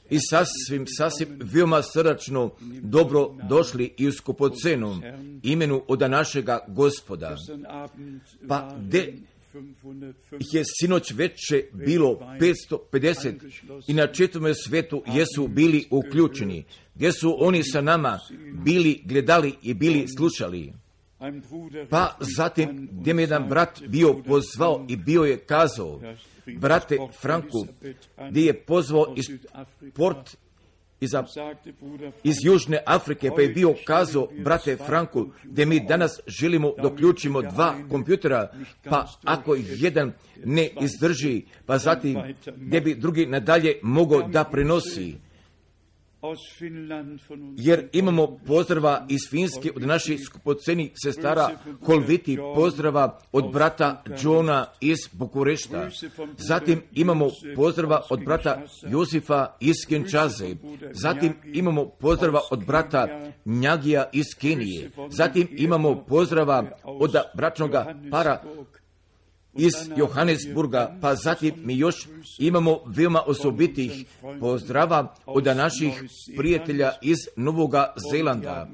i sasvim veoma srdačno dobro došli i u skupocenom imenu od našega Gospoda. Pa gde je sinoć veče bilo 550 i na čitavome svetu jesu bili uključeni, gdje su oni sa nama bili gledali i bili slušali. Pa zatim gdje mi jedan brat bio pozvao i bio je kazao, brate Franku, gdje je pozvao iz Južne Afrike, pa je bio kazao, brate Franku, gdje mi danas želimo da uključimo 2 kompjutera, pa ako jedan ne izdrži, pa zatim gdje bi drugi nadalje mogao da prenosi. Jer imamo pozdrava iz Finske od naših skupocenih sestara Holviti, pozdrava od brata Johna iz Bukurešta. Zatim imamo pozdrava od brata Josifa iz Kinčaze. Zatim imamo pozdrava od brata Njagija iz Kenije. Zatim imamo pozdrava od bračnoga para iz Johannesburga, pa zatim mi još imamo veoma osobitih pozdrava od naših prijatelja iz Novoga Zelanda,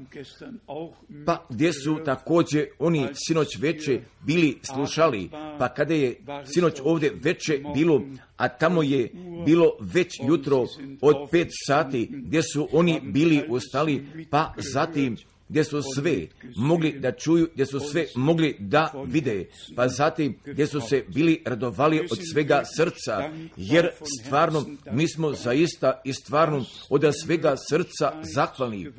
pa gdje su također oni sinoć veče bili slušali, pa kada je sinoć ovdje veče bilo, a tamo je bilo već jutro od 5 sati, gdje su oni bili ustali, pa zatim gdje su sve mogli da čuju, gdje su sve mogli da vide, pa zatim gdje su se bili radovali od svega srca, jer stvarno mi smo zaista i stvarno od svega srca zahvalni.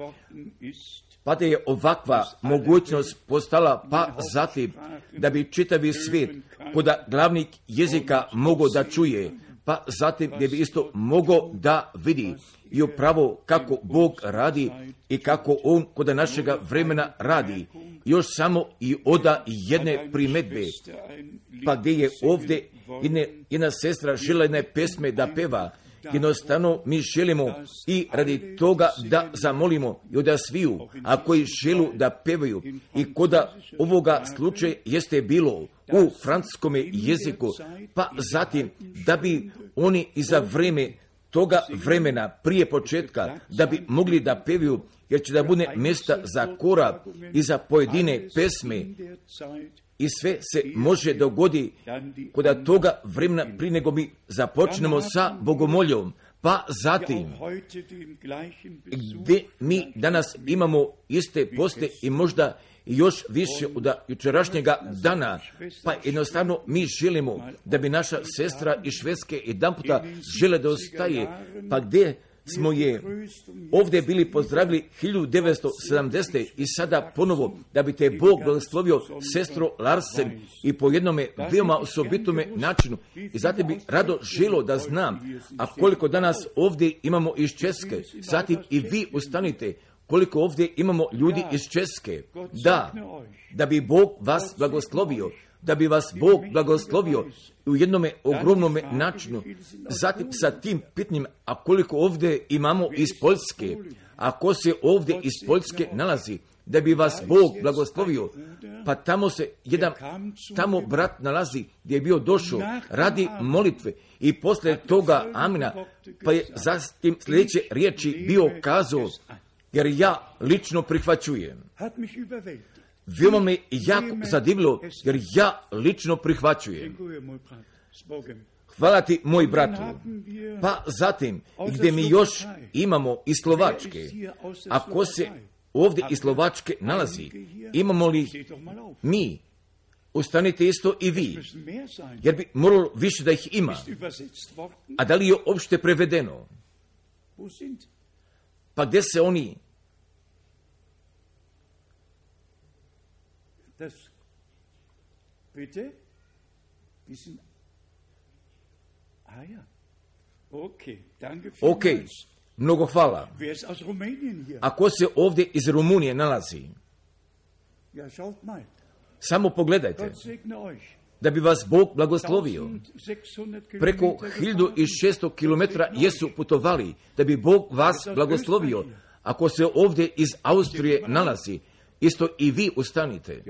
Pa da je ovakva mogućnost postala, pa zatim da bi čitavi svijet kod glavnih jezika mogao da čuje, pa zatim gdje bi isto mogao da vidi i upravo kako Bog radi i kako On kod našega vremena radi. Još samo i oda jedne primedbe, pa gdje je ovdje jedna sestra žela jedne pesme da peva. Jednostavno mi želimo i radi toga da zamolimo i od sviju, a koji želu da pevaju i koda ovoga slučaja jeste bilo u francuskom jeziku, pa zatim da bi oni i za vreme toga vremena prije početka da bi mogli da pevaju, jer će da bude mjesta za kora i za pojedine pesme i sve se može dogodi kod toga vremena prije nego mi započnemo sa bogomoljom. Pa zatim, gdje mi danas imamo iste poste i možda još više od jučerašnjega dana, pa jednostavno mi želimo da bi naša sestra iz Švedske jedan puta žele da ostaje, pa gdje smo je ovdje bili pozdravili 1970. i sada ponovo da bi te Bog blagoslovio sestro Larsen i po jednome veoma osobitome načinu. I zatim bi rado želo da znam, a koliko danas ovdje imamo iz Česke, zatim i vi ustanite, koliko ovdje imamo ljudi iz Česke, da bi Bog vas blagoslovio, da bi vas Bog blagoslovio u jednome ogromnome načinu. Zatim sa tim pitanjem, a koliko ovdje imamo iz Poljske, ako se ovdje iz Poljske nalazi, da bi vas Bog blagoslovio, pa tamo se tamo brat nalazi gdje je bio došao radi molitve i poslije toga amina, pa je zatim sljedeće riječi bio kazao, jer ja lično prihvaćujem. Veoma me jako zadivilo, jer ja lično prihvaćujem. Hvala ti, moj bratu. Pa zatim, gdje mi još imamo i Slovačke, ako se ovdje i Slovačke nalazi, imamo li mi, ustanite isto i vi, jer bi moralo više da ih ima. A da li je opšte prevedeno? Pa gdje se oni? Ok, mnogo hvala. Ako se ovdje iz Rumunije nalazi, samo pogledajte, da bi vas Bog blagoslovio. Preko 1600 km jesu putovali, da bi Bog vas blagoslovio. Ako se ovdje iz Austrije nalazi, isto i vi ustanite.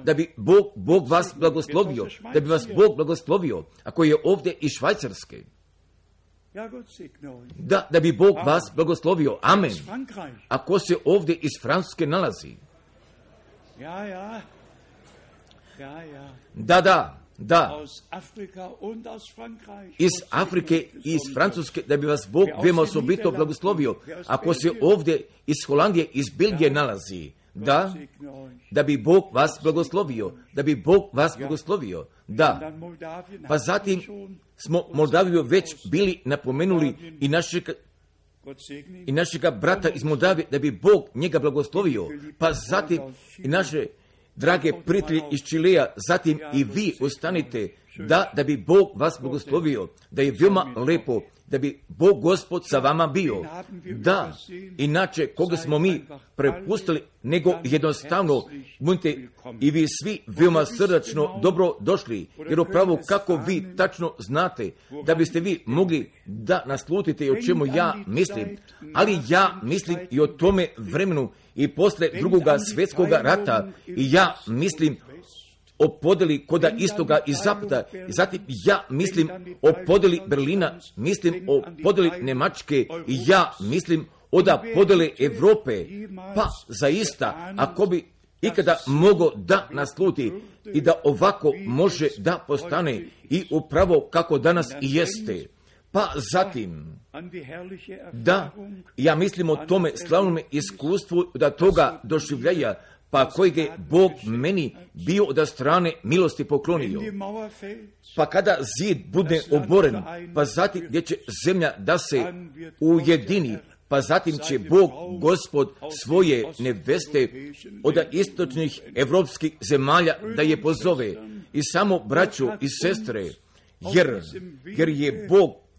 Da bi Bog vas blagoslovio, da bi vas Bog blagoslovio, ako je ovdje iz Švajcarske. Da bi Bog vas blagoslovio. Amen. Ako se ovdje iz Francuske nalazi. Da. Iz Afrike i iz Francuske, da bi vas Bog veoma osobito blagoslovio. Ako se ovdje iz Holandije, iz Belgije nalazi. Da bi Bog vas blagoslovio. Da. Pa zatim smo Moldaviju već bili napomenuli i našega brata iz Moldavije, da bi Bog njega blagoslovio. Pa zatim i naše drage prijatelji iz Čileja, zatim i vi ostanite, da bi Bog vas blagoslovio, da je veoma lepo, da bi Bog Gospod sa vama bio. Da, inače koga smo mi prepustili, nego jednostavno budite i vi svi veoma srdačno dobro došli, jer upravo kako vi tačno znate, da biste vi mogli da naslutite o čemu ja mislim, ali ja mislim i o tome vremenu i posle drugoga svjetskoga rata, i ja mislim o podeli koda istoga i zapada, i zatim ja mislim o podeli Berlina, mislim o podeli Njemačke, i ja mislim o da podele Evrope. Pa zaista, ako bi ikada mogo da nasluti i da ovako može da postane i upravo kako danas i jeste. Pa zatim, da, ja mislim o tome slavnom iskustvu da toga doživljaja, pa kojeg je Bog meni bio od strane milosti poklonio. Pa kada zid bude oboren, pa zatim gdje će zemlja da se ujedini, pa zatim će Bog Gospod svoje neveste od istočnih evropskih zemalja da je pozove, i samo braću i sestre, jer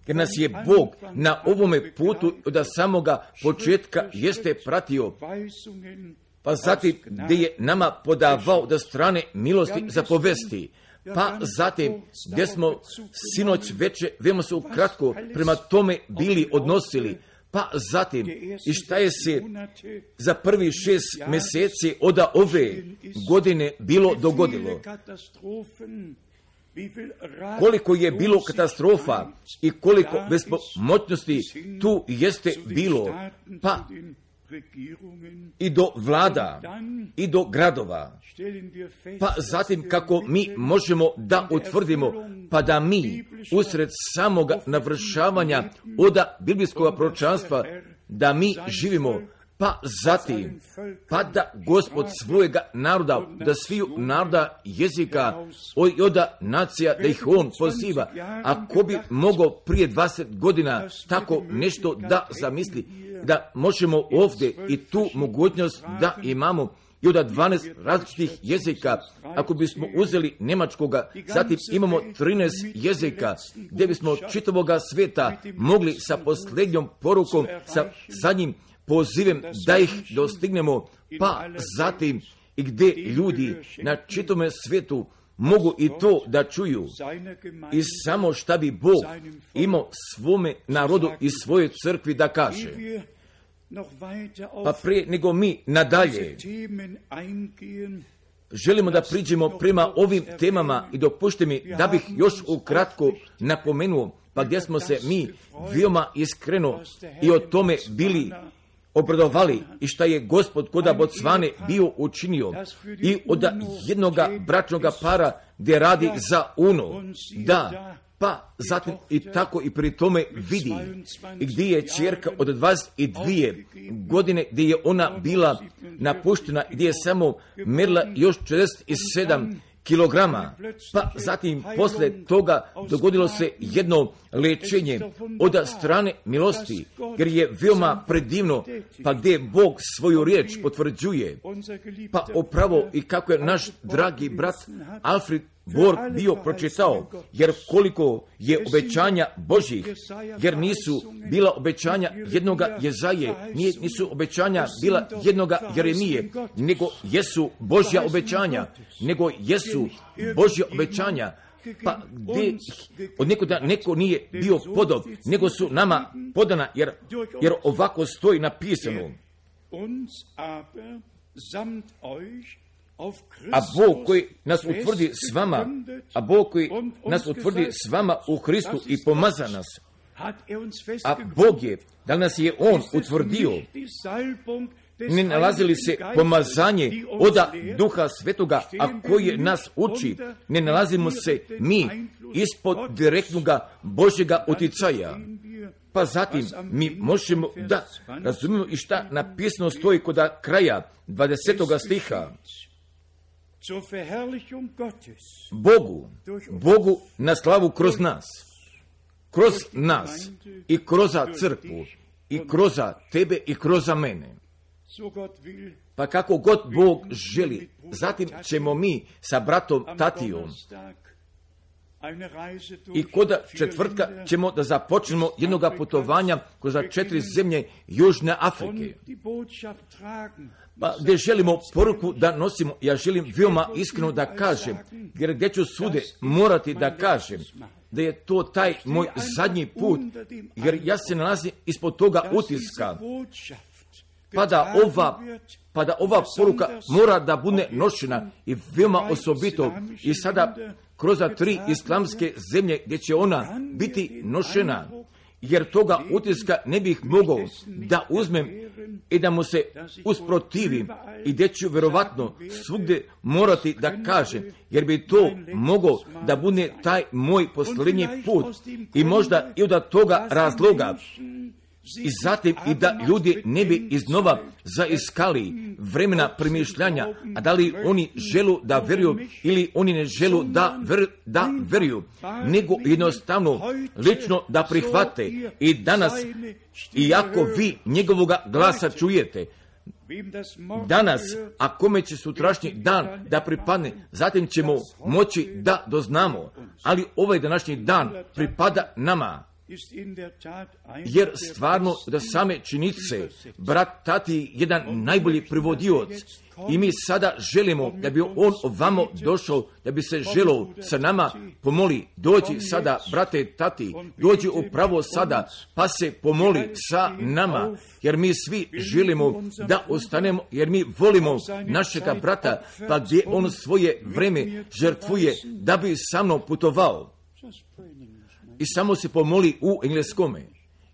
nas je Bog na ovome putu od samoga početka jeste pratio, pa zatim gdje je nama podavao da strane milosti za povesti, pa zatim gdje smo sinoć veče veoma se ukratko prema tome bili odnosili, pa zatim i šta je se za prvi 6 mjeseci od ove godine bilo dogodilo. Koliko je bilo katastrofa i koliko bespomoćnosti tu jeste bilo, pa i do vlada, i do gradova, pa zatim kako mi možemo da utvrdimo, pa da mi usred samoga navršavanja oda biblijskog proročanstva, da mi živimo, pa zatim, pa da Gospod svojega naroda, da sviju naroda jezika i oda nacija, da ih on poziva. Ako bi mogao prije 20 godina tako nešto da zamisli, da možemo ovdje i tu mogućnost da imamo i od 12 različitih jezika, ako bismo uzeli njemačkoga, zatim imamo 13 jezika, gdje bismo čitavoga svijeta mogli sa posljednjom porukom, sa zadnjim pozivem da ih dostignemo, pa zatim i gdje ljudi na čitome svijetu mogu i to da čuju, i samo šta bi Bog imao svome narodu i svojoj crkvi da kaže. Pa prije nego mi nadalje želimo da priđemo prema ovim temama, i dopušte mi da bih još ukratko napomenuo, pa gdje smo se mi veoma iskreno i o tome bili obradovali, i šta je Gospod koda Bocvane bio učinio, i od jednoga bračnoga para gdje radi za UNO, da, pa zatim i tako i pri tome vidi, i gdje je čerka od 22 godine, gdje je ona bila napuštena, gdje je samo merila još 47 kilograma, pa zatim posle toga dogodilo se jedno lečenje od strane milosti, jer je veoma predivno, pa gdje Bog svoju riječ potvrđuje, pa upravo i kako je naš dragi brat Alfred Borg bio pročitao, jer koliko je obećanja Božjih, jer nisu bila obećanja jednoga Jezaje, nisu obećanja bila jednoga Jeremije, nego jesu Božja obećanja, pa gdje od nekoga neko nije bio podob, nego su nama podana, jer ovako stoji napisano. A Bog koji nas utvrdi s vama u Hristu i pomaza nas, A Bog je, da nas je On utvrdio, ne nalazi li se pomazanje oda Duha Svetoga, a koje nas uči, ne nalazimo se mi ispod direktnog Božjega uticaja. Pa zatim mi možemo da razumijemo i šta napisano stoji kod kraja 20. stiha. Bogu na slavu kroz nas i kroz crkvu i kroz tebe i kroz mene. Pa kako god Bog želi, zatim ćemo mi sa bratom Tatijom i kod četvrtka ćemo da započnemo jednog putovanja kroz 4 zemlje Južne Afrike. Pa gdje želimo poruku da nosimo, ja želim veoma iskreno da kažem, jer gdje ću svude morati da kažem, da je to taj moj zadnji put, jer ja se nalazim ispod toga utiska, pa da ova poruka mora da bude nošena i veoma osobito i sada kroz 3 islamske zemlje gdje će ona biti nošena, jer toga utiska ne bih mogao da uzmem i da mu se usprotivim i gdje ću verovatno svugdje morati da kažem, jer bi to mogao da bude taj moj posljednji put i možda i od toga razloga. I zatim i da ljudi ne bi iznova zaiskali vremena premišljanja, a da li oni želu da veruju ili oni ne želu da veruju, nego jednostavno lično da prihvate i danas, iako vi njegovoga glasa čujete, danas, a kome će sutrašnji dan da pripadne, zatim ćemo moći da doznamo, ali ovaj današnji dan pripada nama. Jer stvarno da same činjenice, brat Tati jedan najbolji privodioc i mi sada želimo da bi on ovamo došao, da bi se želio sa nama pomoli, dođi sada brate Tati, dođi upravo sada pa se pomoli sa nama, jer mi svi želimo da ostanemo, jer mi volimo našega brata, pa gdje on svoje vreme žrtvuje da bi sa mnom putovao. I samo se pomoli u engleskome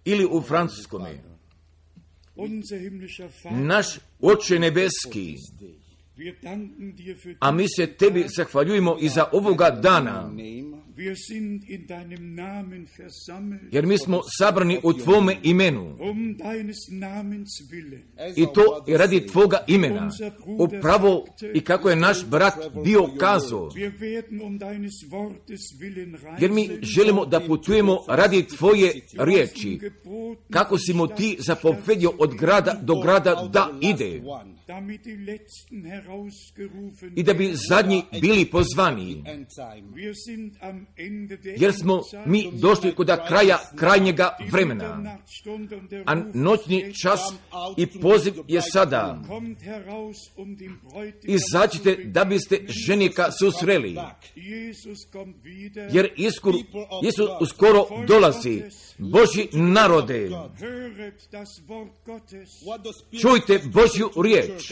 ili u francuskome. Naš Oče nebeski, a mi se tebi zahvaljujemo i za ovoga dana, jer mi smo sabrani u tvome imenu i to i radi tvoga imena, upravo i kako je naš brat bio kazao, jer mi želimo da putujemo radi tvoje riječi, kako si mu ti zapovedio od grada do grada da ide, i da bi zadnji bili pozvani, jer smo mi došli kod kraja krajnjega vremena, a noćni čas i poziv je sada. Izađite da biste ženika susreli, jer Isus uskoro dolazi. Božji narode, čujte Božju riječ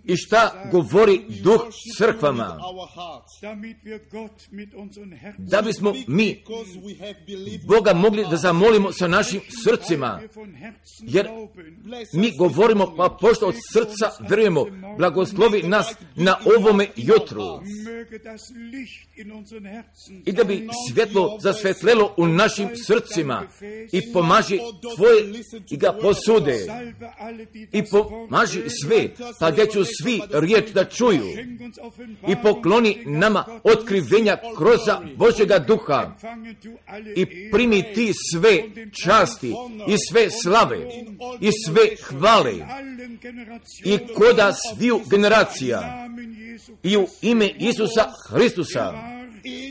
i šta govori Duh crkvama, da bismo mi Boga mogli da zamolimo sa našim srcima, jer mi govorimo pa pošto od srca verujemo, blagoslovi nas na ovome jutru i da bi svjetlo zasvetlelo u našim srcima i pomaži tvoje i ga posude i pomaži sve, pa gdje ću svi riječ da čuju i pokloni nama otkrivenja kroz Božjega duha i primi ti sve časti i sve slave i sve hvale i koda sviju generacija i u ime Isusa Hristusa,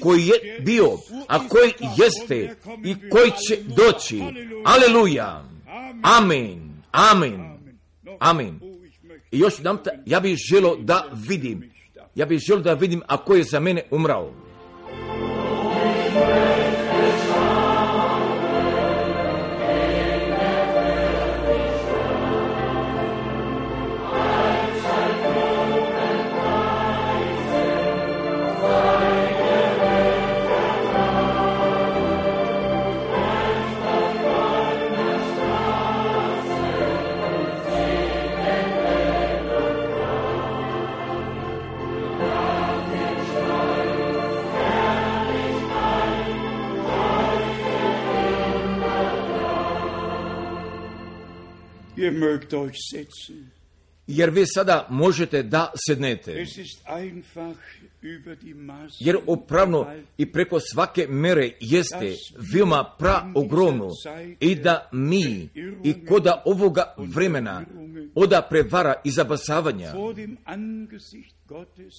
koji je bio, a koji jeste i koji će doći. Aleluja. Amen. Amen. Amen. I još jedan, ja bih želio da vidim ako je za mene umrao. Ihr mögt euch setzen. Jer vi sada možete da sednete. Es ist einfach über die Maßen Jer upravno i preko svake mere jeste veoma praogromno i da mi i koda ovoga vremena oda prevara i zabasavanja vor dem Angesicht Gottes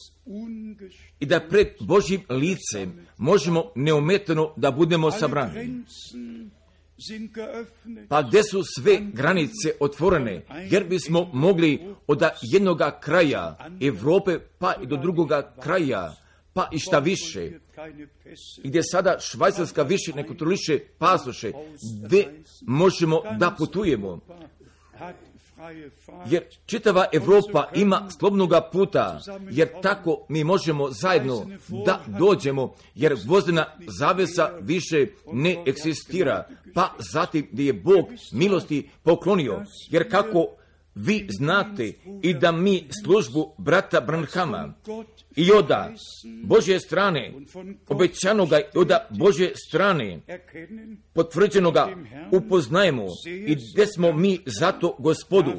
i da pred Božjim licem možemo neometano da budemo sabrani. Grenzen sind geöffnet. Pa gde su sve granice otvorene, jer bismo mogli od jednoga kraja Evrope pa i do drugoga kraja, pa i šta više, Keine Pässe. gdje sada Švajcarska više ne kontroliše pasoše, gde možemo da putujemo, Hat freie Fahrt. jer čitava Evropa ima slobodnoga puta, jer tako mi možemo zajedno da dođemo, jer vozdena zavesa više ne eksistira, pa zatim gdje je Bog milosti poklonio, jer kako vi znate i da mi službu brata Branhama i oda Božje strane, obećanoga i oda Božje strane, Erkennen, potvrđenoga upoznajemo i gdje smo mi zato Gospodu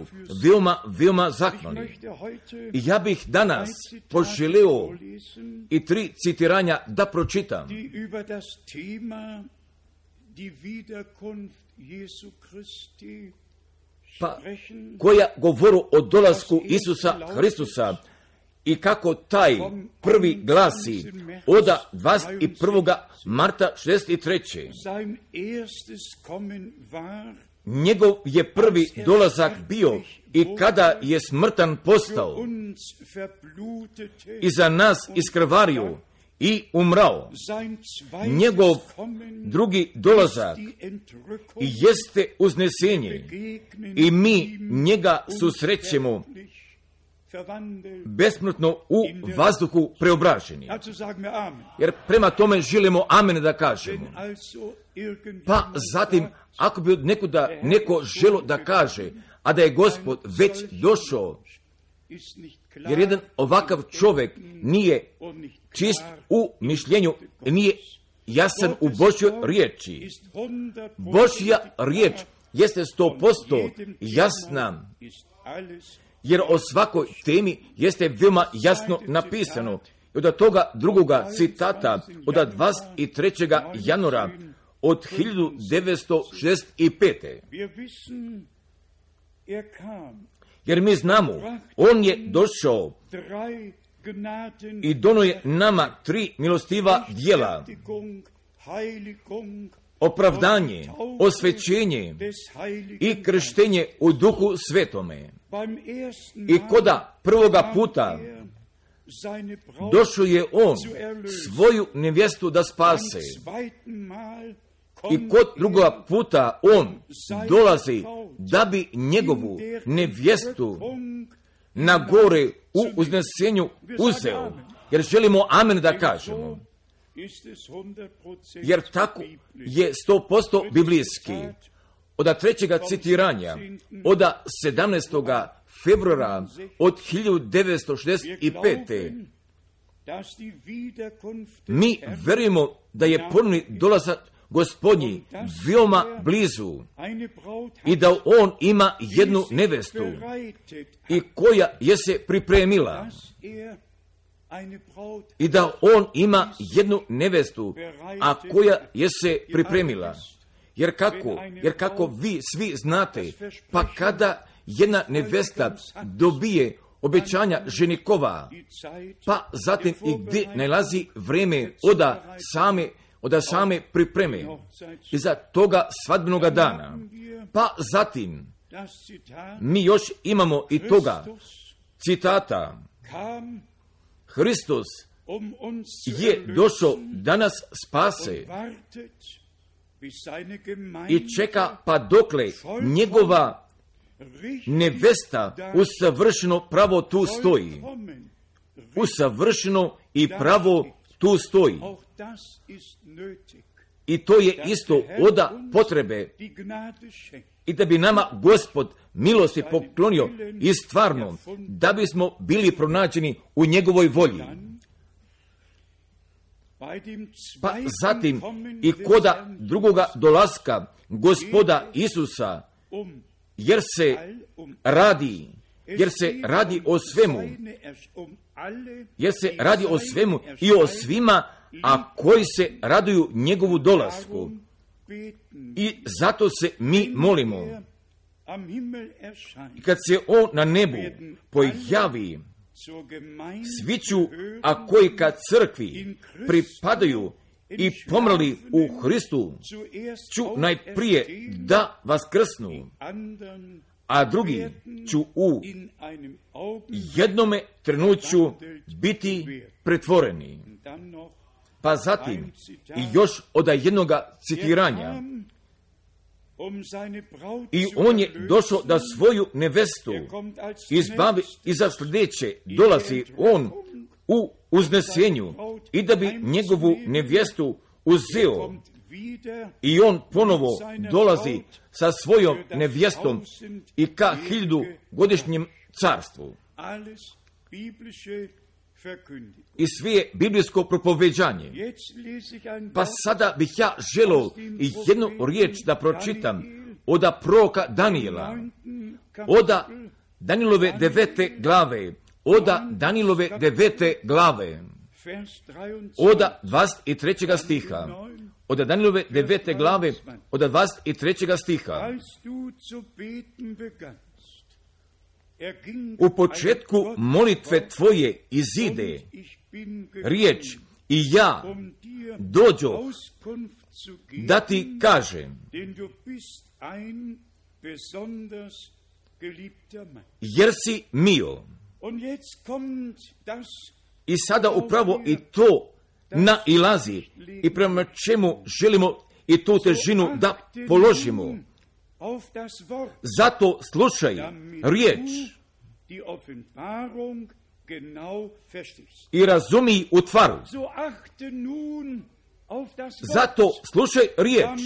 veoma zahvalni. möchte heute I ja bih danas poželeo lesen, i 3 citiranja da pročitam, die über das Thema die Wiederkunft Jesu Christi pa sprechen. koja govoru o dolasku Isusa Hristusa i kako taj prvi glasi oda 21. marta 63. Sein erstes Kommen war Njegov je prvi dolazak bio i kada je smrtan postao uns verblutete. i za nas iskrvario i umrao. Sein Njegov zweites Kommen drugi dolazak die Entrückung. i jeste uznesenje Begegnen i mi ihm njega susrećemo unsterblich verwandelt. besmrtno u vazduhu preobraženi. Dazu sagen wir Amen. Jer prema tome želimo amen da kažemo. Wenn also irgendjemand Pa zatim, ako bi neko želo da kaže, a da je Gospod već došao, ist nicht klar jer jedan ovakav čovjek nije und nicht čist klar, u mišljenju, nije jasan u Božjoj riječi. ist 100% Božja riječ jeste 100% jasna, ist alles jer o svakoj temi jeste veoma jasno napisano. I od toga drugoga citata, od 23. januara od 1965. Wir wissen, kam. Jer mi znamo, on je došao Drei Gnaden, i dono je nama 3 milostiva djela, Rechtfertigung, Heiligung, opravdanje, osvećenje des Heiligen i krštenje u Duhu Svetome. Beim ersten I Mal koda prvoga puta er seine Braut, došao je on svoju nevjestu da spase. zweiten Mal I kod drugoga puta on dolazi da bi njegovu nevjestu na gore u uznesenju uzeo. Jer želimo amen da kažemo. ist es 100% Jer tako je 100% biblijski. Od trećega citiranja, od 17. februara od 1965. dass die Wiederkunft Mi verujemo da je ponovni dolazak Gospodnji veoma blizu eine Braut i da on ima jednu nevestu bereitet, i koja je se pripremila dass er eine Braut i da on ima jednu nevestu, a koja je se pripremila. Jer kako vi svi znate, pa kada jedna nevesta dobije obećanja ženikova, die Zeit pa zatim i gdje nalazi vreme od same pripreme i za toga svadbenoga dana. Pa zatim das Zitat mi još imamo i toga citata. kam, Hristos uns zu je došao da nas spase wartet, bis seine i Gemeinde čeka pa dokle njegova nevesta usavršeno pravo tu stoji. vollkommen. Usavršeno i pravo tu stoji. Auch das ist nötig. I to je isto oda potrebe Die Gnade schenkt. i da bi nama Gospod milosti poklonio i stvarno da bismo bili pronađeni u njegovoj volji. Bei dem Pa zweiten zatim Kommen i des koda Herrn drugoga dolaska Gospoda Isusa jer se radi o svemu, jer se radi o svemu i o svima, a koji se raduju njegovu dolasku. I zato se mi molimo. I kad se on na nebu pojavi, svi ću, a koji ka crkvi pripadaju i pomrli u Hristu, ću najprije da vaskrsnu, a drugi ću u jednome trenuću biti pretvoreni. Pa zatim i još od jednoga citiranja. I on je došao da svoju nevestu izbavi i za sljedeće dolazi on u uznesenju i da bi njegovu nevjestu uzeo. I on ponovo dolazi sa svojom nevjestom i ka 1000-godišnjem carstvu. I sve je biblijsko propoveđanje. Pa sada bih ja želio i jednu riječ da pročitam od proroka Danijela, od Danilove 9. glave, od Danilove 9. glave, od 23. stiha, od Danilove 9. glave, od 23. stiha. U početku molitve tvoje izide riječ i ja dođo da ti kažem, jer si mio. I sada upravo i to nailazi i prema čemu želimo i tu težinu da položimo. Zato slušaj riječ i razumi u tvaru. Zato slušaj riječ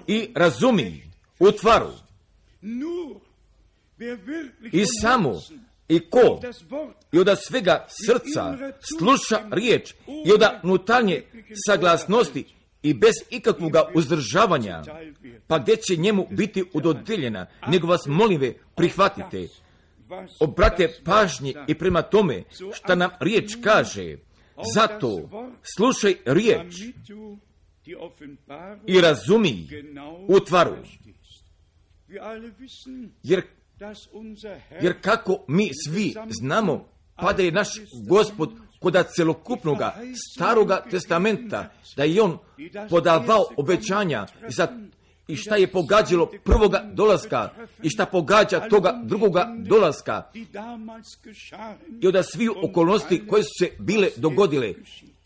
i razumi u tvaru. I samo i ko i od svega srca sluša riječ i od unutarnje saglasnosti i bez ikakvog uzdržavanja, pa gdje će njemu biti udodijeljena, nego vas molim prihvatite, obrate pažnje i prema tome šta nam riječ kaže. Zato slušaj riječ i razumi u tvaru. Jer kako mi svi znamo, pa da je naš Gospod kod celokupnoga staroga testamenta, da je on podavao obećanja i šta je pogađalo prvoga dolaska i šta pogađa toga drugoga dolaska i od svih okolnosti koje su se bile dogodile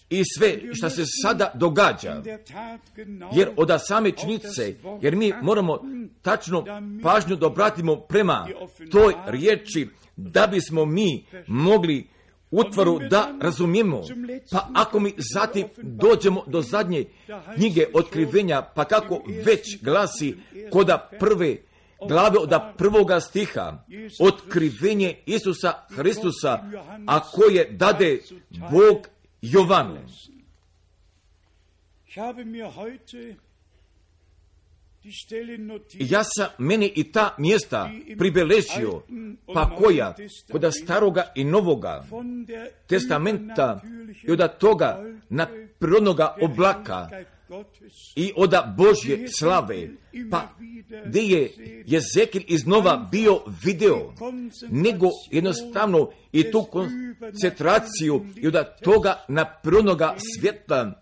i sve šta se sada događa. Jer od same činjenice, jer mi moramo tačno pažnju da obratimo prema toj riječi, da bismo mi mogli utvaru da razumijemo. Pa ako mi zatim dođemo do zadnje knjige Otkrivenja, pa kako već glasi koda prve glave od 1. stiha, otkrivenje Isusa Hristusa, a koje dade Bog Jovanu. Ja sam meni i ta mjesta pribeležio, pa koja kod staroga i novoga testamenta i od toga prirodnoga oblaka i od Božje slave, pa gdje je Jezekil iznova bio video, nego jednostavno i tu koncentraciju i od toga prirodnoga svjetla,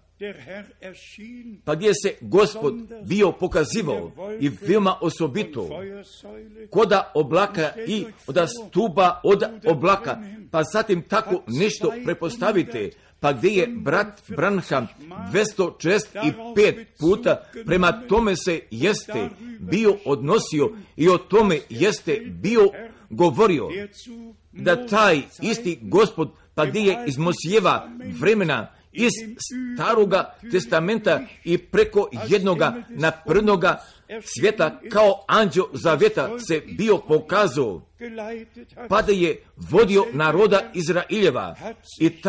pa gdje se Gospod bio pokazivao i veoma osobito koda oblaka i od stuba od oblaka, pa zatim tako nešto prepostavite, pa gdje je brat Branham 265 puta prema tome se jeste bio odnosio i o tome jeste bio govorio, da taj isti Gospod, pa gdje je iz Mosijeva vremena iz staroga testamenta i preko jednoga naprednoga svijeta kao anđeo zavjeta se bio pokazao, pa da je vodio naroda Izraeljeva i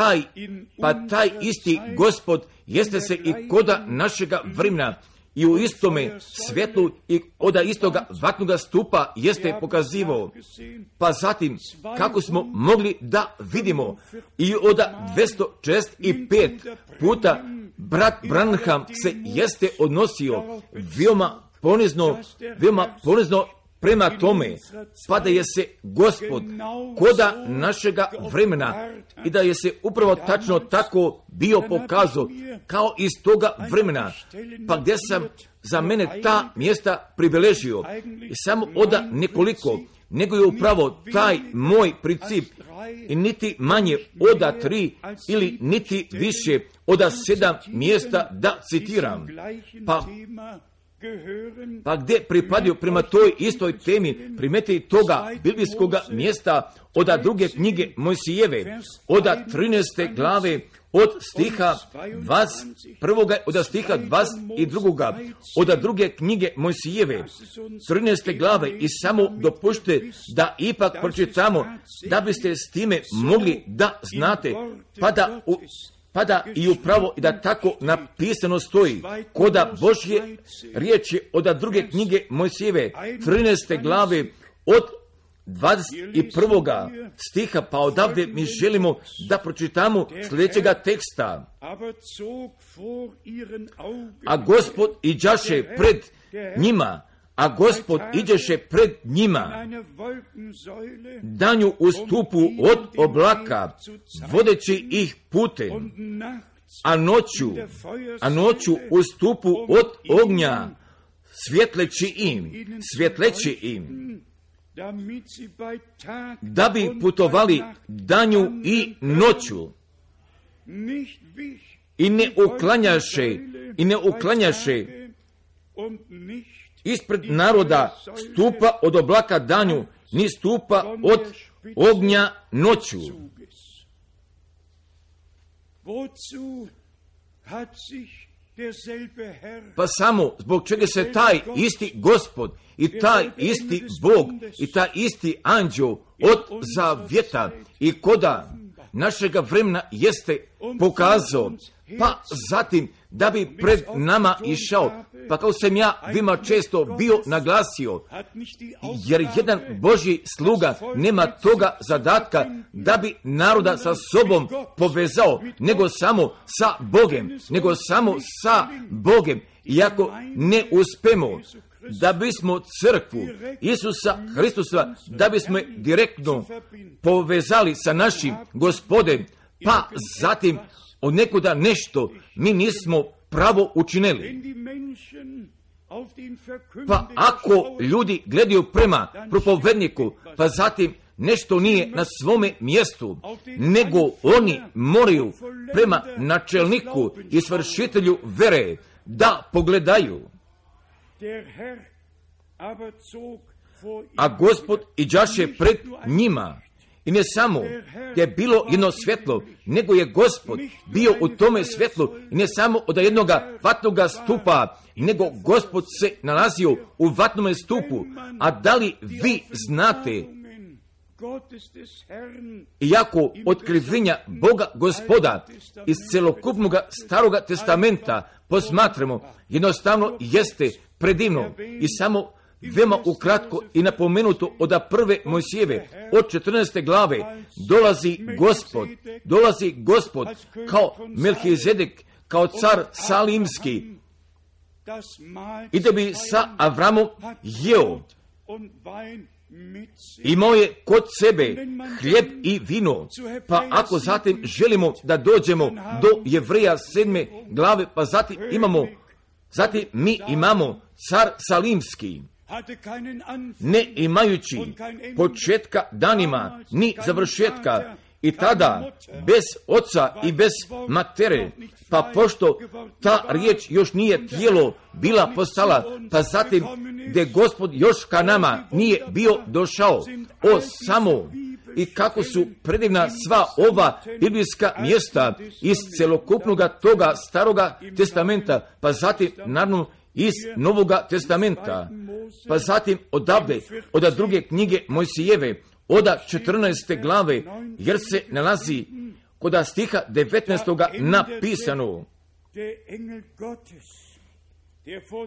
taj isti Gospod jeste se i koda našega vremena i u istome svjetlu i od istoga vatnoga stupa jeste pokazivao. Pa zatim, kako smo mogli da vidimo i od 265 puta brat Branham se jeste odnosio veoma ponizno prema tome, pa da je se Gospod koda našega vremena i da je se upravo tačno tako bio pokazao kao iz toga vremena, pa gdje sam za mene ta mjesta pribeležio i samo od nekoliko, nego je upravo taj moj princip i niti manje od 3 ili niti više od 7 mjesta da citiram. Pa gdje pripadaju prema toj istoj temi, primeti toga biblijskoga mjesta od 2. knjige Mojsijeve, od 13. glave, od stiha 21. od stiha 22. od 2. knjige Mojsijeve, 13. glave, i samo dopušte da ipak pročitamo, da biste s time mogli da znate, pa da i upravo i da tako napisano stoji, koda Božje riječi od 2. knjige Mojsijeve, 13. glave, od 21. stiha, pa odavde mi želimo da pročitamo sljedećega teksta. A Gospod iđaše pred njima, iđeše pred njima, danju u stupu od oblaka, vodeći ih putem, a noću u stupu od ognja, svjetleći im, da bi putovali danju i noću, i ne uklanjaše ispred naroda stupa od oblaka danju, ni stupa od ognja noću. Pa samo zbog čega se taj isti Gospod i taj isti Bog i taj isti anđeo od zavjeta i koda našega vremena jeste pokazao, pa zatim da bi pred nama išao, pa kao sam ja vima često bio naglasio, jer jedan Božji sluga nema toga zadatka da bi naroda sa sobom povezao, nego samo sa Bogem, I ako ne uspemo da bismo crkvu Isusa Hristusa, da bismo direktno povezali sa našim Gospodem, pa zatim od nekuda nešto mi nismo pravo učinili. Pa ako ljudi gledaju prema propovedniku, pa zatim nešto nije na svome mjestu, nego oni moraju prema načelniku i svršitelju vere da pogledaju. A Gospod iđaše pred njima. I ne samo je bilo jedno svjetlo, nego je Gospod bio u tome svjetlu, i ne samo od jednoga vatnoga stupa, nego Gospod se nalazio u vatnome stupu. A da li vi znate, iako otkrivenja Boga Gospoda iz celokupnog Staroga testamenta posmatramo, jednostavno jeste predivno. I samo veoma ukratko i napomenuto od prve Mojsijeve, od 14. glave, dolazi Gospod kao Melhizedek, kao car Salimski, i da bi sa Avramom jeo. Imao je kod sebe hljeb i vino. Pa ako zatim želimo da dođemo do Jevreja 7. glave, pa zatim mi imamo car Salimski, ne imajući početka danima ni završetka, i tada bez oca i bez matere, pa pošto ta riječ još nije tijelo bila postala, pa zatim gdje Gospod još ka nama nije bio došao, o samo i kako su predivna sva ova biblijska mjesta iz celokupnog toga Staroga testamenta, pa zatim naravno iz Novoga testamenta, pa zatim odavde, od druge knjige Mojsijeve, od 14. glave, jer se nalazi kod stiha 19. napisano: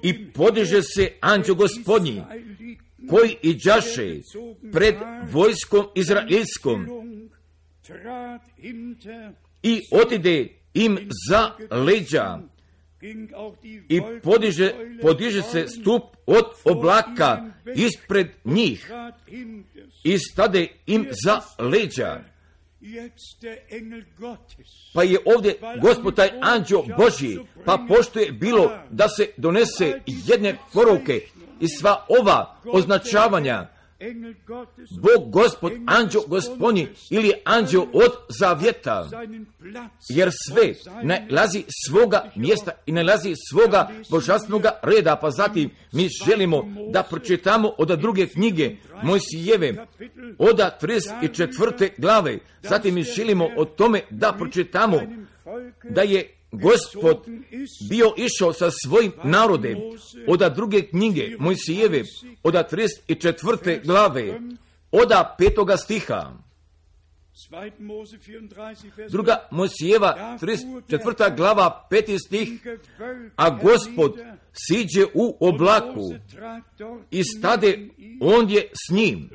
I podiže se anđeo Gospodnji, koji iđaše pred vojskom izraelskom i otide im za leđa i podiže se stup od oblaka ispred njih i stade im za leđa. Pa je ovdje Gospod taj anđeo Božji, pa pošto je bilo da se donese jedne poruke i sva ova označavanja, Bog Gospod, anđeo Gospodnji ili anđeo od zavjeta, jer sve nalazi svoga mjesta i nalazi svoga božanstvenoga reda. Pa zatim mi želimo da pročitamo od druge knjige Mojsijeve, od 34. glave. Zatim mi želimo o tome da pročitamo da je Gospod bio išao sa svojim narodem, od druge knjige Mojsijeve, od 34. glave, od 5. stiha. Druga Mojsijeva, 34. glava, 5. stih. A Gospod siđe u oblaku i stade ondje s njim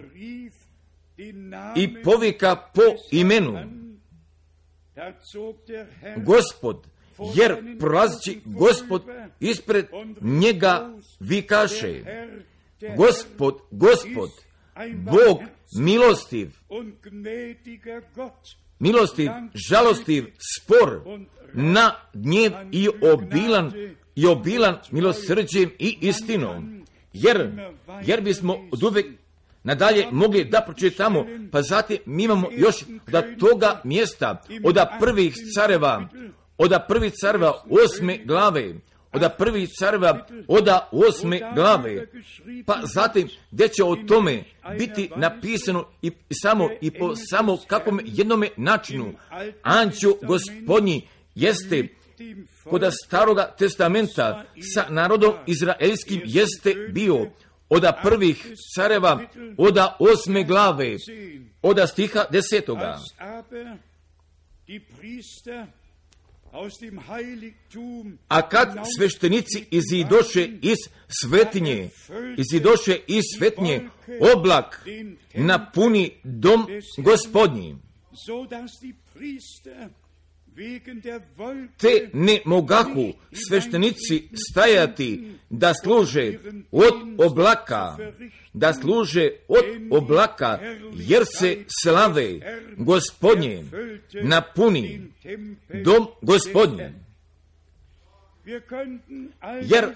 i povika po imenu Gospod, jer prolazići Gospod ispred njega vikaše: Gospod, Gospod, Bog milostiv, žalostiv, spor, na gnjev i obilan milosrđem i istinom. Jer bismo od uvek nadalje mogli da pročitamo, pa zatim mi imamo još da toga mjesta od prvih careva 8. glave, od 8. glave, pa zatim gdje će o tome biti napisano i po samo kakvom jednome načinu. Anđeo Gospodnji jeste kod staroga testamenta sa narodom izraelskim jeste bio od prvih careva, od 8. glave, od stiha 10. A kad sveštenici izidoše iz svetinje, oblak napuni dom Gospodnji, te ne mogahu sveštenici stajati da služe od oblaka, jer se slave Gospodnje napuni dom Gospodnje. Jer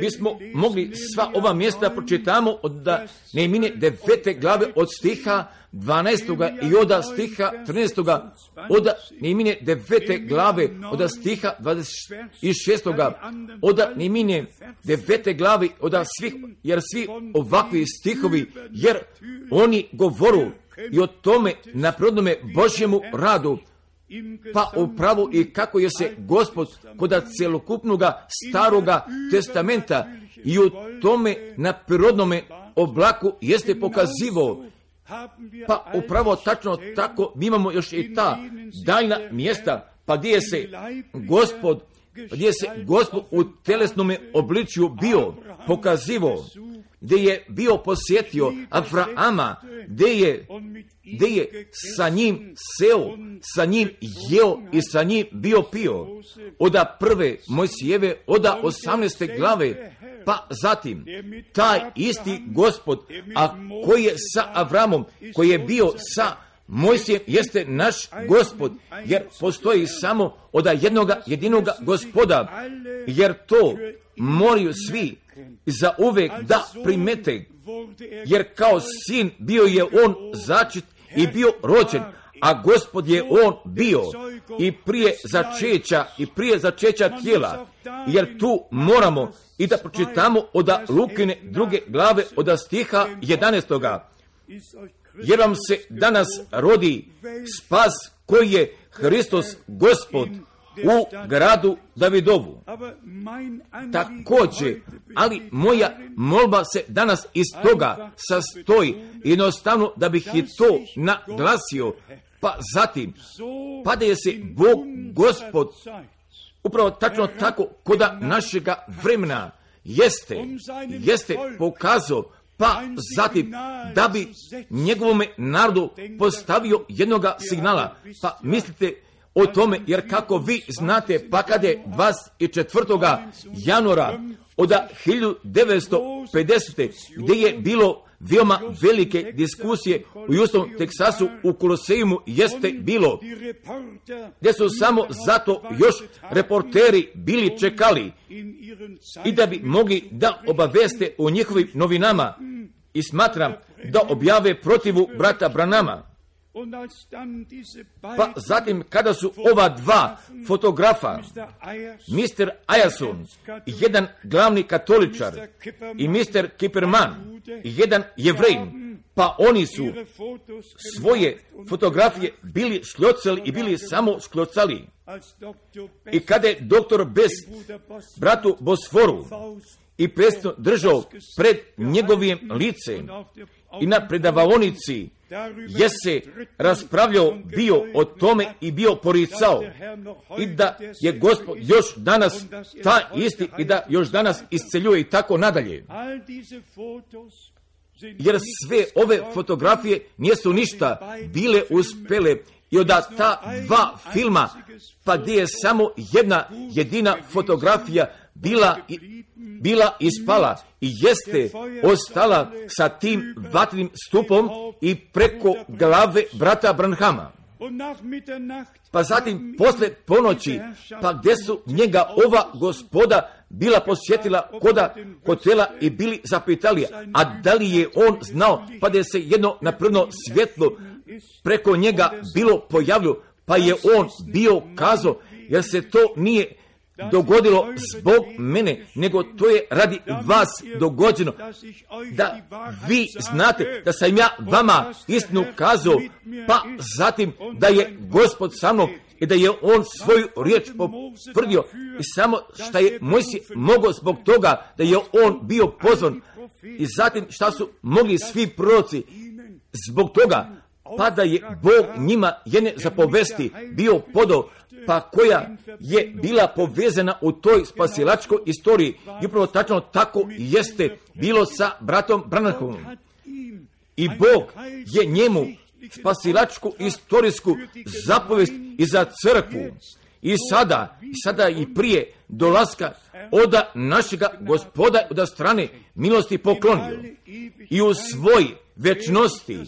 bismo mogli sva ova mjesta pročitamo od Nehemije 9. glave od stiha 12. i od stiha 13. od Nehemije 9. glave od stiha 26. od Nehemije 9. glave od svih, jer svi ovakvi stihovi, jer oni govoru i o tome naprednome Božjemu radu, pa upravo i kako je se Gospod kod celokupnoga staroga testamenta i u tome na prirodnome oblaku jeste pokazivo. Pa upravo tačno tako mi imamo još i ta daljna mjesta, pa gdje se Gospod u telesnome obličju bio pokazivo, gdje je bio posjetio Avrama, gdje je sa njim seo, sa njim jeo i sa njim bio pio. Od prve Mojsijeve, od 18. glave, pa zatim taj isti Gospod, a koji je sa Avramom, koji je bio sa Mojsijem, jeste naš Gospod, jer postoji samo od jedinoga Gospoda, jer to moraju svi za uvek da primete, jer kao sin bio je on začet i bio rođen, a Gospod je on bio i prije začeća tijela, jer tu moramo i da pročitamo od Lukine 2. glave od stiha 11. Jer vam se danas rodi spas koji je Hristos Gospod u gradu Davidovu. Također, ali moja molba se danas iz toga sastoji, jednostavno da bih i to naglasio, pa zatim, pa da je se Bog Gospod upravo tačno tako koda našega vremena, jeste pokazao, pa zatim da bi njegovome narodu postavio jednoga signala. Pa mislite o tome, jer kako vi znate, pa kad je 24. januara od 1950. gdje je bilo veoma velike diskusije u Justom Teksasu u Koloseumu, jeste bilo, gdje su samo zato još reporteri bili čekali i da bi mogli da obaveste o njihovim novinama i smatram da objave protivu brata Branhama. Pa zatim kada su ova dva fotografa, Mr. Ayerson, jedan glavni katoličar, i Mr. Kipperman, jedan Jevrejin, pa oni su svoje fotografije bili šljocali i bili samo šljocali. I kada je doktor Best bratu Bosforu i presno držao pred njegovim licem i na predavaonici je se raspravljao bio o tome i bio poricao, i da je Gospod još danas ta isti i da još danas isceljuje i tako nadalje. Jer sve ove fotografije nisu ništa bile uspjele i od ta dva filma, pa gdje je samo jedna jedina fotografija bila ispala i jeste ostala sa tim vatrenim stupom i preko glave brata Branhama. Pa zatim posle ponoći, pa gdje su njega ova gospoda bila posjetila koda hotela i bili zapitali, a da li je on znao, pa da je se jedno napravno svjetlo preko njega bilo pojavilo, pa je on bio kazao, jer se to nije dogodilo zbog mene, nego to je radi vas dogođeno, da vi znate da sam ja vama istinu kazao, pa zatim da je Gospod sa mnom i da je on svoju riječ potvrdio, i samo šta je Mojsije mogao zbog toga da je on bio pozvan, i zatim šta su mogli svi proroci zbog toga, pa da je Bog njima jedne zapovesti bio podao, pa koja je bila povezana u toj spasilačkoj istoriji. I upravo tačno tako jeste bilo sa bratom Branhamom. I Bog je njemu spasilačku istorijsku zapovest i za crkvu. I sada i prije dolaska od našega Gospoda od strane milosti poklonio. I u svoj večnosti,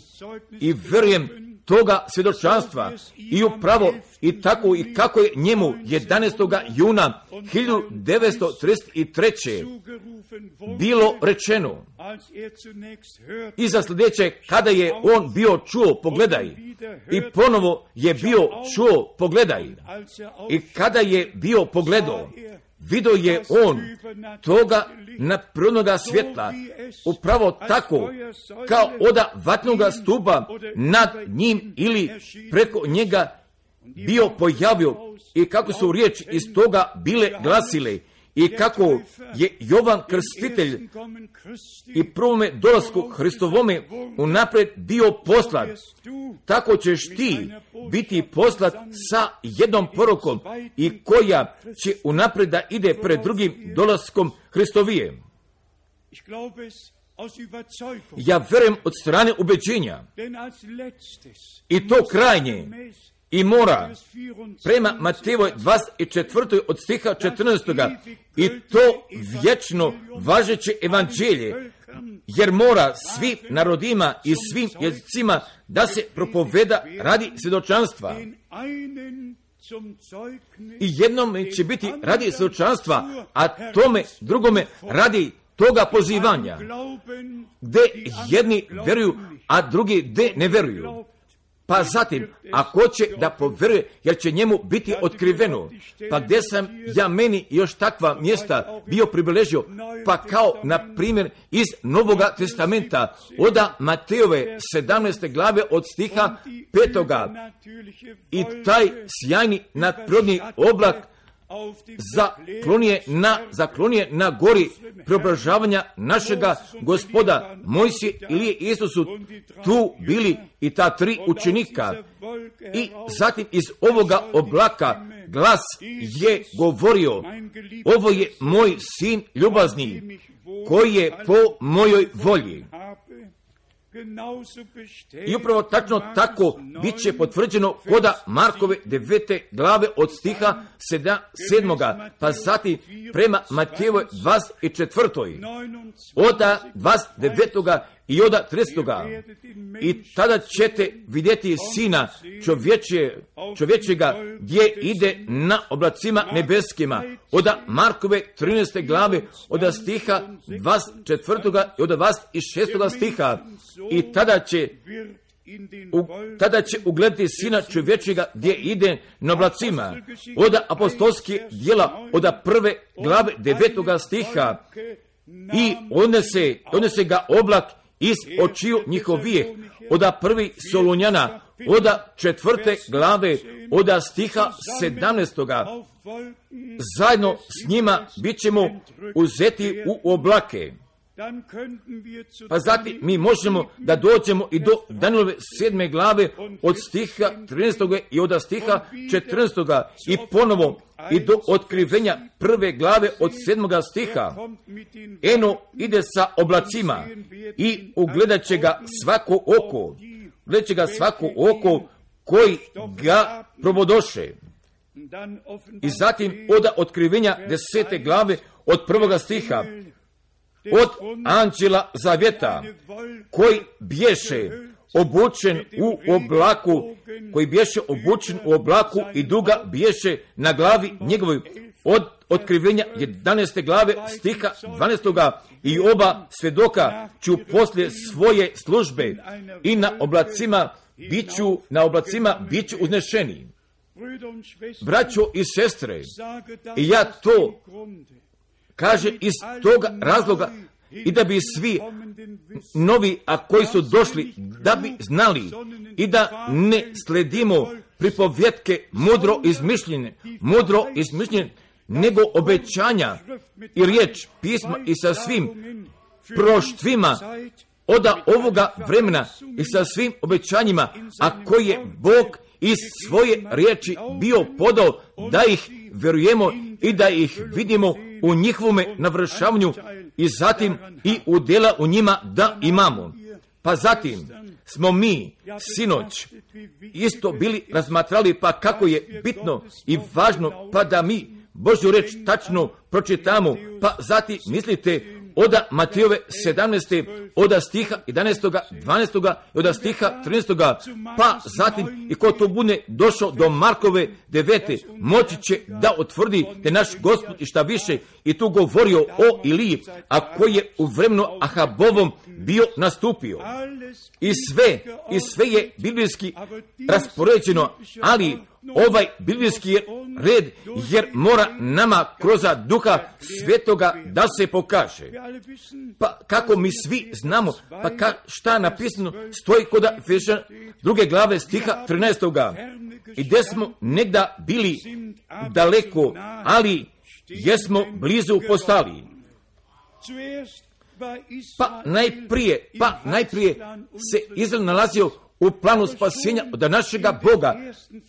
i vjerujem toga svjedočanstva, i upravo i tako i kako je njemu 11. juna 1933. bilo rečeno, i za sljedeće, kada je on bio čuo, pogledaj, i ponovo je bio čuo, pogledaj, i kada je bio pogledao, vidio je on toga naprirodnoga svjetla, upravo tako kao od vatnoga stupa nad njim ili preko njega bio pojavio, i kako su riječi iz toga bile glasile, i kako je Jovan Krstitelj i prvome dolasku Hristovome unaprijed bio poslat, tako ćeš ti biti poslat sa jednom porukom, i koja će unaprijed da ide pred drugim dolaskom Hristovijem. Ja vjerujem od strane ubeđenja, i to krajnje, i mora prema Matejevoj 24. od stiha 14. i to vječno važeće evanđelje, jer mora svim narodima i svim jezicima da se propoveda radi svjedočanstva. I jednom će biti radi svjedočanstva, a tome drugome radi toga pozivanja, gdje jedni vjeruju, a drugi gdje ne vjeruju. Pa zatim, ako će da povjeruje, jer će njemu biti otkriveno. Pa gdje sam ja meni još takva mjesta bio pribilježio, pa kao na primjer iz Novoga testamenta, od Matejove 17. glave od stiha 5. I taj sjajni nadprirodni oblak zaklonije na gori preobražavanja našega Gospoda Mojsije ili Isusu tu bili i ta tri učenika. I zatim iz ovoga oblaka glas je govorio, ovo je moj sin ljubazni, koji je po mojoj volji. I upravo tačno tako bit će potvrđeno koda Markove 9. glave od stiha 7. pa zatim prema Matejevoj 24. oda 29. i oda 30. I tada ćete vidjeti Sina čovječega gdje ide na oblacima nebeskima. Oda Markove 13. glave oda stiha 24. i oda 26. stiha. I tada će ugledati Sina čovječega gdje ide na oblacima. Oda apostolske djela oda 1. glave 9. stiha. I odnese ga oblak iz očiju njihovije. Oda 1. Solunjana oda 4. glave oda stiha 17. Zajedno s njima bit ćemo uzeti u oblake. Pa zatim mi možemo da dođemo i do Danielove 7. glave od stiha 13. i od stiha 14. i ponovo i do otkrivenja 1. glave od 7. stiha. Eno ide sa oblacima i ugledat će ga svako oko koji ga probodoše. I zatim od otkrivenja 10. glave od 1. stiha. Od anđela zavjeta koji bješe obučen u oblaku i duga bješe na glavi njegovoj. Od otkrivenja 11. glave stiha 12. i oba svjedoka ću poslije svoje službe i na oblacima biću uznešeni. Braćo i sestre, i ja to kaže iz toga razloga i da bi svi novi, a koji su došli, da bi znali i da ne sledimo pripovjetke mudro izmišljene, nego obećanja i riječ pisma i sa svim proštvima od ovoga vremena i sa svim obećanjima, a koje je Bog iz svoje riječi bio podao da ih vjerujemo i da ih vidimo u njihovome navršavanju i zatim i u djela u njima da imamo. Pa zatim smo mi sinoć isto bili razmatrali pa kako je bitno i važno pa da mi Božju riječ tačno pročitamo, pa zatim mislite oda Matejove 17. oda stiha 11. 12. i oda stiha 13. pa zatim i ko to bude došao do Markove 9. moći će da otvrdi da naš Gospod i šta više i tu govorio o Iliji, a koji je u vremenu Ahabovom bio nastupio. I sve je biblijski raspoređeno, ali ovaj biblijski red jer mora nama kroz Duha Svetoga da se pokaže. Pa kako mi svi znamo, pa šta je napisano, stoji kod Efežana 2. glave stiha 13. I gdje smo negda bili daleko, ali jesmo blizu postali. Pa najprije se Izrael nalazio u planu spasenja od našega Boga,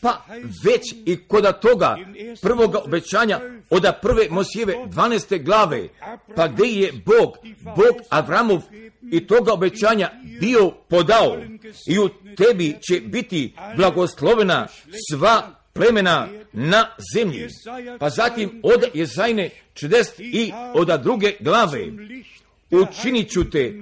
pa već i kod toga prvoga obećanja od 1. Mojsijeve 12. glave, pa gdje je Bog Avramov i toga obećanja bio podao i u tebi će biti blagoslovena sva plemena na zemlji. Pa zatim od Jezajne 40 i od 2. glave učinit ću te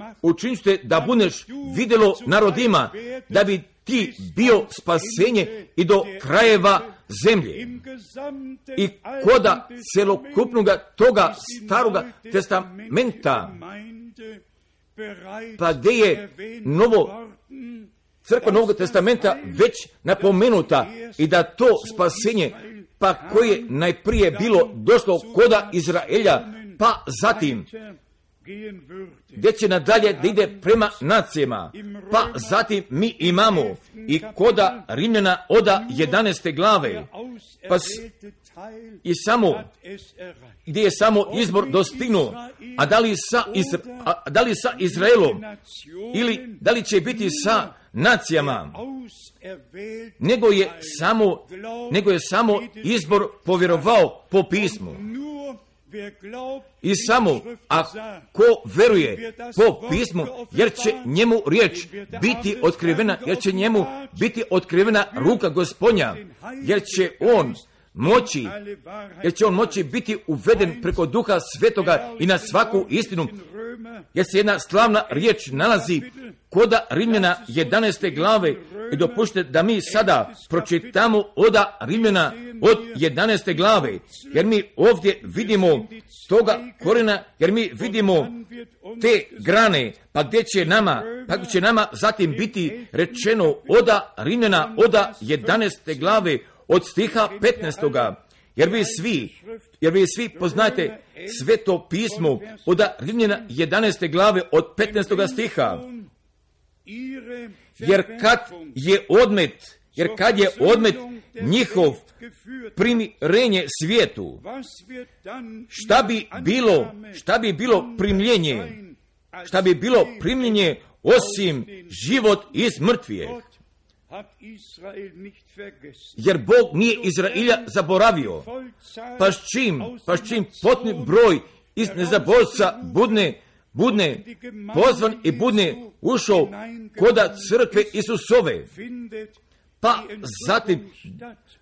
da budeš vidjelo narodima, da bi ti bio spasenje i do krajeva zemlje. I koda celokupnoga toga staroga testamenta, pa gdje je crkva Novog testamenta već napomenuta i da to spasenje, pa koje najprije bilo došlo koda Izraelja, pa zatim gdje će nadalje da ide prema nacijama, pa zatim mi imamo i koda Rimljana oda 11. glave, pa gdje je samo izbor dostignuo, a da li sa Izraelom ili da li će biti sa nacijama, nego je samo izbor povjerovao po pismu. I samo ako veruje po pismu, jer će njemu riječ biti otkrivena, jer će njemu biti otkrivena ruka Gospodnja, jer će on moći biti uveden preko Duha Svetoga i na svaku istinu, jer se jedna slavna riječ nalazi kod Rimljana 11. glave. I dopušte da mi sada pročitamo od Rimljana od 11. glave, jer mi ovdje vidimo toga korijena, jer mi vidimo te grane, pa gdje će nama zatim biti rečeno od Rimljana od 11. glave od stiha 15. Jer vi svi poznajete Sveto pismo od Rimljana 11. glave od 15. stiha. Jer kad je odmet njihov primirenje svijetu, šta bi bilo primljenje osim život iz mrtvijeg? Jer Bog nije Izraelja zaboravio, pa s čim potni broj iz nezaboravca budne pozvan i budne ušao koda crkve Isusove, pa zatim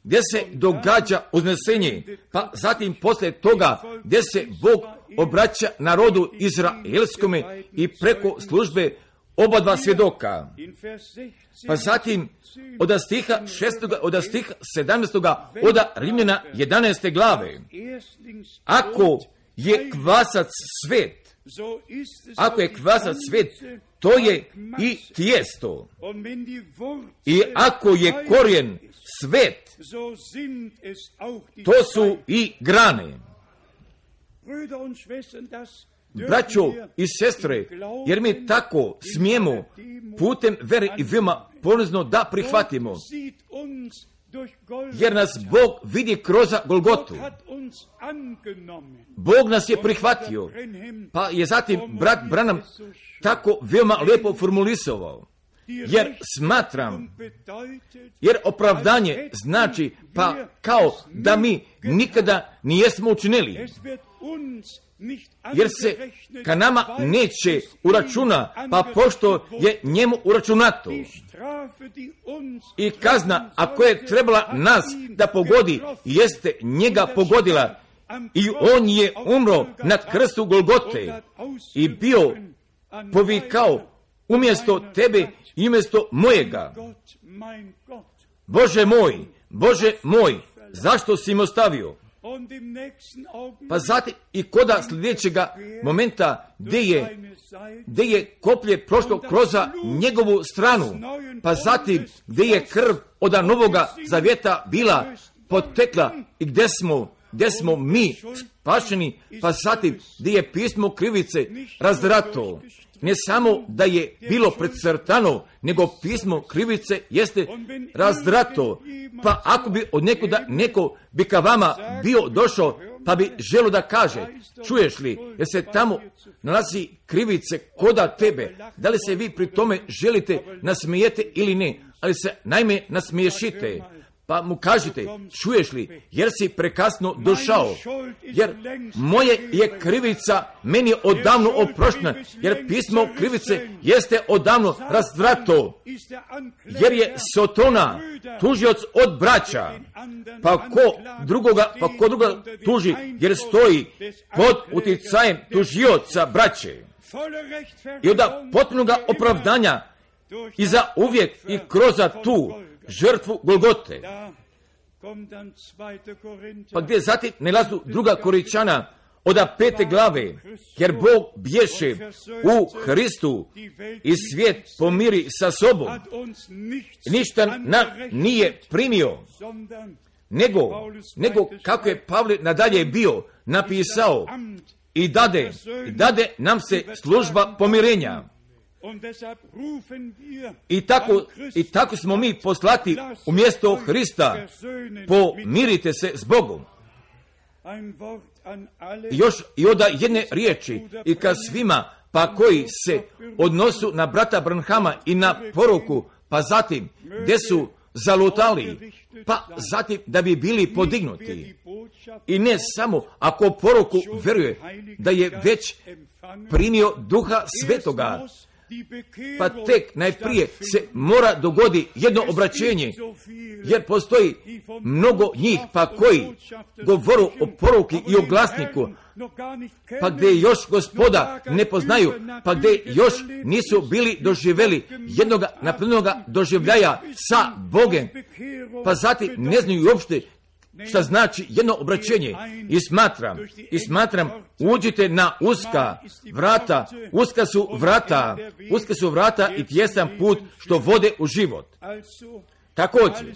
gdje se događa uznesenje, pa zatim poslije toga gdje se Bog obraća narodu izraelskome i preko službe oba dva svjedoka. Pa zatim od stiha 17. od Rimljana 11. glave, ako je kvasac svet, to je i tijesto. I ako je korijen svet, to su i grane. Braćo i sestre, jer mi tako smijemo putem vere i veoma ponizno da prihvatimo, jer nas Bog vidi kroz Golgotu. Bog nas je prihvatio, pa je zatim brat Branham tako veoma lijepo formulisao. Jer opravdanje znači pa kao da mi nikada nijesmo učinili. Jer se ka nama neće uračuna, pa pošto je njemu uračunato. I kazna, ako je trebala nas da pogodi, jeste njega pogodila. I on je umro na krstu Golgote i bio povikao umjesto tebe i umjesto mojega. Bože moj, zašto si me ostavio? Pa zatim i koda sljedećega momenta gdje je koplje prošlo kroz njegovu stranu, pa zatim gdje je krv od Novoga Zavjeta bila potekla i gdje smo mi spašeni, pa zatim gdje je pismo krivice razdrato. Ne samo da je bilo precrtano, nego pismo krivice jeste razdrato. Pa ako bi od nekuda neko bi ka vama bio došao, pa bi želio da kaže, čuješ li, jer se tamo nalazi krivice koda tebe, da li se vi pri tome želite nasmijete ili ne, ali se naime nasmiješite. Pa mu kažite, čuješ li, jer si prekasno došao, jer moje je krivica meni odavno oproštena, jer pismo krivice jeste odavno razdrato, jer je Sotona tužioc od braća, pa ko drugoga tuži, jer stoji pod uticajem tužioca braće. I od potpunoga opravdanja i za uvijek i kroz tu žrtvu Golgote. Pa gdje zatim nalazu 2. Korinćana od 5. glave, jer Bog bješe u Hristu i svijet pomiri sa sobom. Ništa nije primio, nego kako je Pavle nadalje bio napisao i dade nam se služba pomirenja. I tako smo mi poslati umjesto Hrista, pomirite se s Bogom. Još i od jedne riječi i ka svima, pa koji se odnosu na brata Branhama i na poruku pa zatim gdje su zalutali, pa zatim da bi bili podignuti. I ne samo ako poruku vjeruje da je već primio Duha Svetoga, pa tek najprije se mora dogodi jedno obraćenje, jer postoji mnogo njih pa koji govoru o poruki i o glasniku, pa gdje još Gospoda ne poznaju, pa gdje još nisu bili doživjeli jednoga naplnoga doživljaja sa Bogem, pa zatim ne znaju uopšte šta znači jedno obraćenje. I smatram, uđite na uska vrata, uska su vrata i tjesan put što vode u život. Također,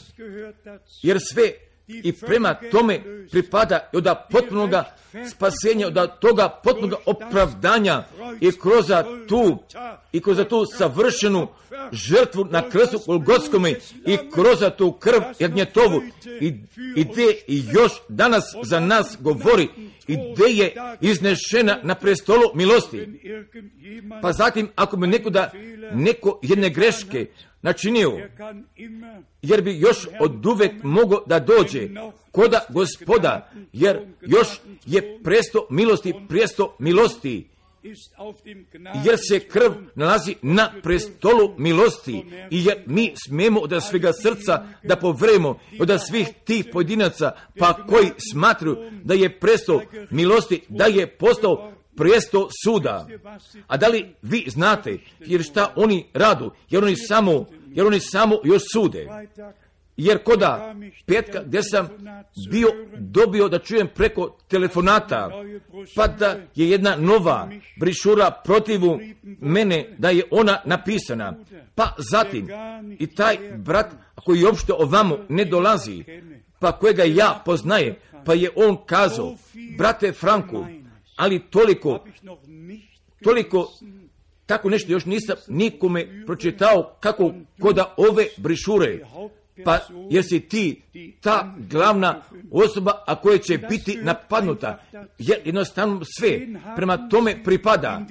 jer sve i prema tome pripada od potpunoga spasenja, od toga potpunoga opravdanja i kroz tu savršenu žrtvu na krstu Golgotskome i kroz tu krv jagnjetovu i gdje i još danas za nas govori i gdje je iznešena na prestolu milosti. Pa zatim ako bi neko jedne greške načinio, jer bi još od uvek mogao da dođe koda Gospoda, jer još je presto milosti, jer se krv nalazi na prestolu milosti i jer mi smijemo od svega srca da povremo od svih tih pojedinaca pa koji smatruju da je presto milosti, da je postao presto suda. A da li vi znate jer šta oni radu, jer oni samo još sude. Jer koda petka gdje sam dobio da čujem preko telefonata, pa da je jedna nova brišura protivu mene, da je ona napisana. Pa zatim i taj brat koji uopšte ovamo ne dolazi, pa kojega ja poznaje, pa je on kazao, brate Franku, ali toliko tako nešto još nisam nikome pročitao kako koda ove brišure. Pa jer si ti ta glavna osoba, a koja će biti napadnuta, jer jednostavno sve prema tome pripada.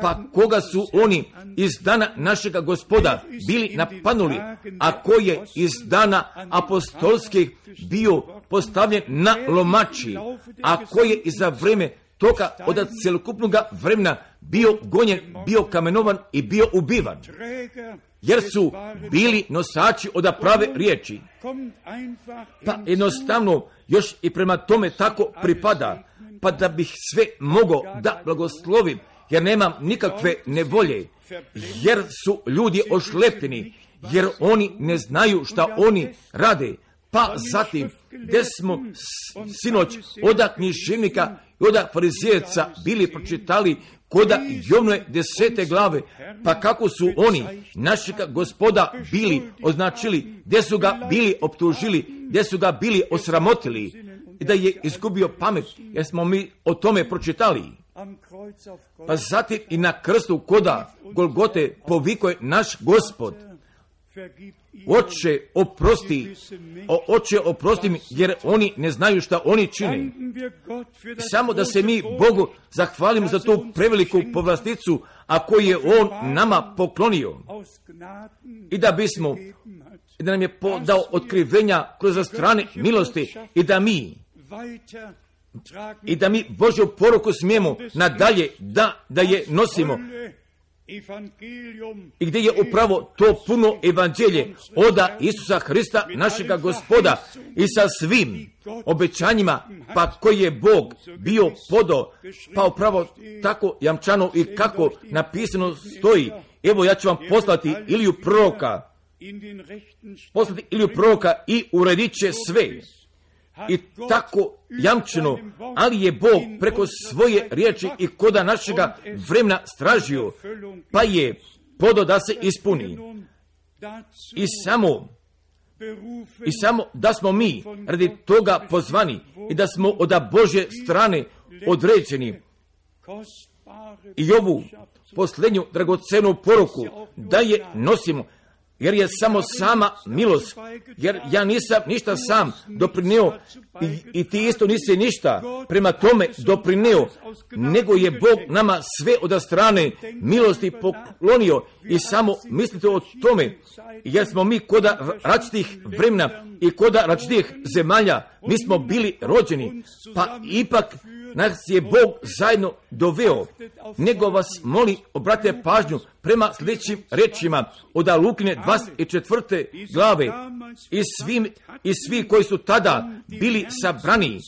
Pa koga su oni iz dana našega Gospoda bili napadnuli, a ko je iz dana apostolskih bio postavljen na lomači, a ko je i za vrijeme toga od celokupnog vremena bio gonjen, bio kamenovan i bio ubivan. Jer su bili nosači od prave riječi. Pa jednostavno još i prema tome tako pripada, pa da bih sve mogao da blagoslovim, jer nemam nikakve nevolje, jer su ljudi ošlepljeni, jer oni ne znaju šta oni rade. Pa zatim, gdje smo sinoć od književnika i od farizejaca bili pročitali koda Jovnove 10. glave, pa kako su oni našega Gospoda bili označili, gdje su ga bili optužili, gdje su ga bili osramotili i da je izgubio pamet, jer smo mi o tome pročitali. Pa zatim i na krstu koda Golgote povikuje naš Gospod, Oče oprosti mi, jer oni ne znaju šta oni čine. Samo da se mi Bogu zahvalimo za tu preveliku povlasticu, a koju je On nama poklonio. I da nam je dao otkrivenja kroz strane milosti i da mi Božju poruku smijemo nadalje da je nosimo. I gdje je upravo to puno evanđelje od Isusa Hrista, našega Gospoda, i sa svim obećanjima, pa koji je Bog bio podao, pa upravo tako jamčano i kako napisano stoji. Evo ja ću vam poslati Iliju proroka i uredit će sve. I tako jamčeno, ali je Bog preko svoje riječi i koda našega vremena stražio, pa je podao da se ispuni. I samo da smo mi radi toga pozvani i da smo od Božje strane određeni i ovu posljednju dragocenu poruku da je nosimo, jer je samo sama milost, jer ja nisam ništa sam doprinio i ti isto nisi ništa prema tome doprinio, nego je Bog nama sve od strane milosti poklonio i samo mislite o tome, jer smo mi koda različitih vremena i koda različitih zemalja, mi smo bili rođeni, pa ipak nas je Bog zajedno doveo, nego vas molim, obratite pažnju prema sljedećim rečima od Lukine 24. glave i svi koji su tada bili sabrani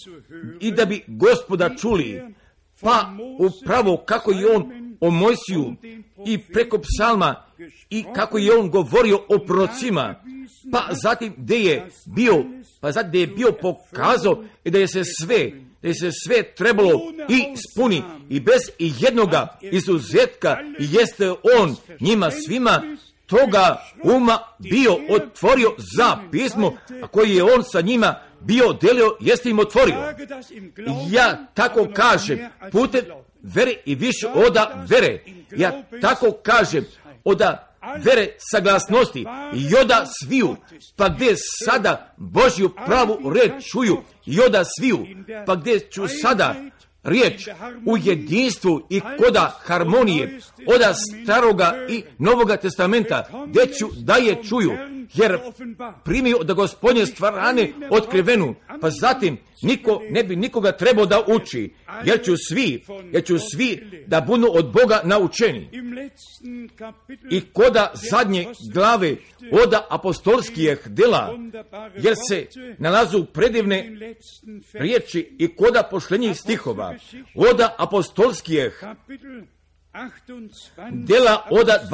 i da bi Gospoda čuli, pa upravo kako je on o Mojsiju i preko psalma i kako je on govorio o prorocima, pa zatim gdje je bio pokazao i da je se sve trebalo i spuni i bez i jednoga izuzetka jeste on njima svima toga uma bio otvorio za pismo, a koji je on sa njima bio delio, jeste im otvorio. Ja tako kažem, putem vere i više oda vere, ja tako kažem, oda vere saglasnosti i oda sviju, pa gdje sada Božju pravu reč čuju i oda sviju, pa gdje ću sada riječ u jedinstvu i koda harmonije oda staroga i novoga testamenta, gdje ću da je čuju, jer primio da Gospodnje stvarane otkrivenu, pa zatim niko ne bi nikoga trebao da uči, jer ću svi da budu od Boga naučeni. I koda zadnje glave oda apostolskih dela, jer se nalazu predivne riječi i koda pošlenjih stihova, oda apostolskih dela oda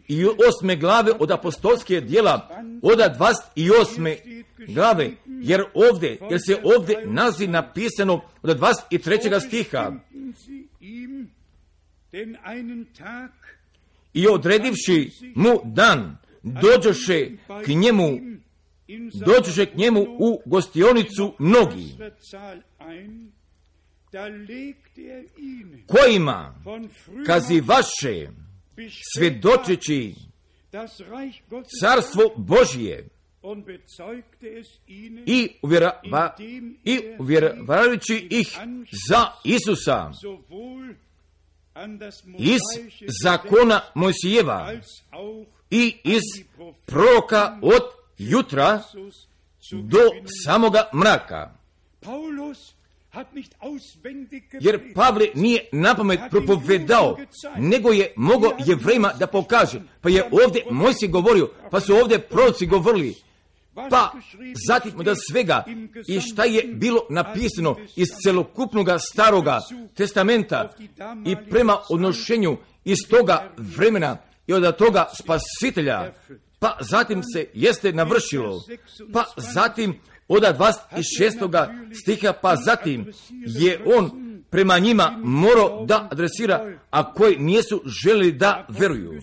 28. glave od apostolskih djela oda 28. glave, jer se ovdje nalazi napisano od 23. stiha. I odredivši mu dan, dođoše k njemu u gostionicu mnogi, kojima kazivaše svjedočeći carstvo Božije i uvjeravajući ih za Isusa iz zakona Mojsijeva i iz proroka od jutra do samoga mraka. Jer Pavle nije napamet propovedao, nego je mogao Jevrejima da pokaže. Pa je ovdje Mojsij govorio, pa su ovdje proroci govorili, pa zatim da svega i šta je bilo napisano iz celokupnog staroga testamenta i prema odnošenju iz toga vremena i od toga spasitelja, pa zatim se jeste navršilo, pa zatim od 26. stiha, pa zatim je on prema njima morao da adresira, a koji nisu želeli da veruju.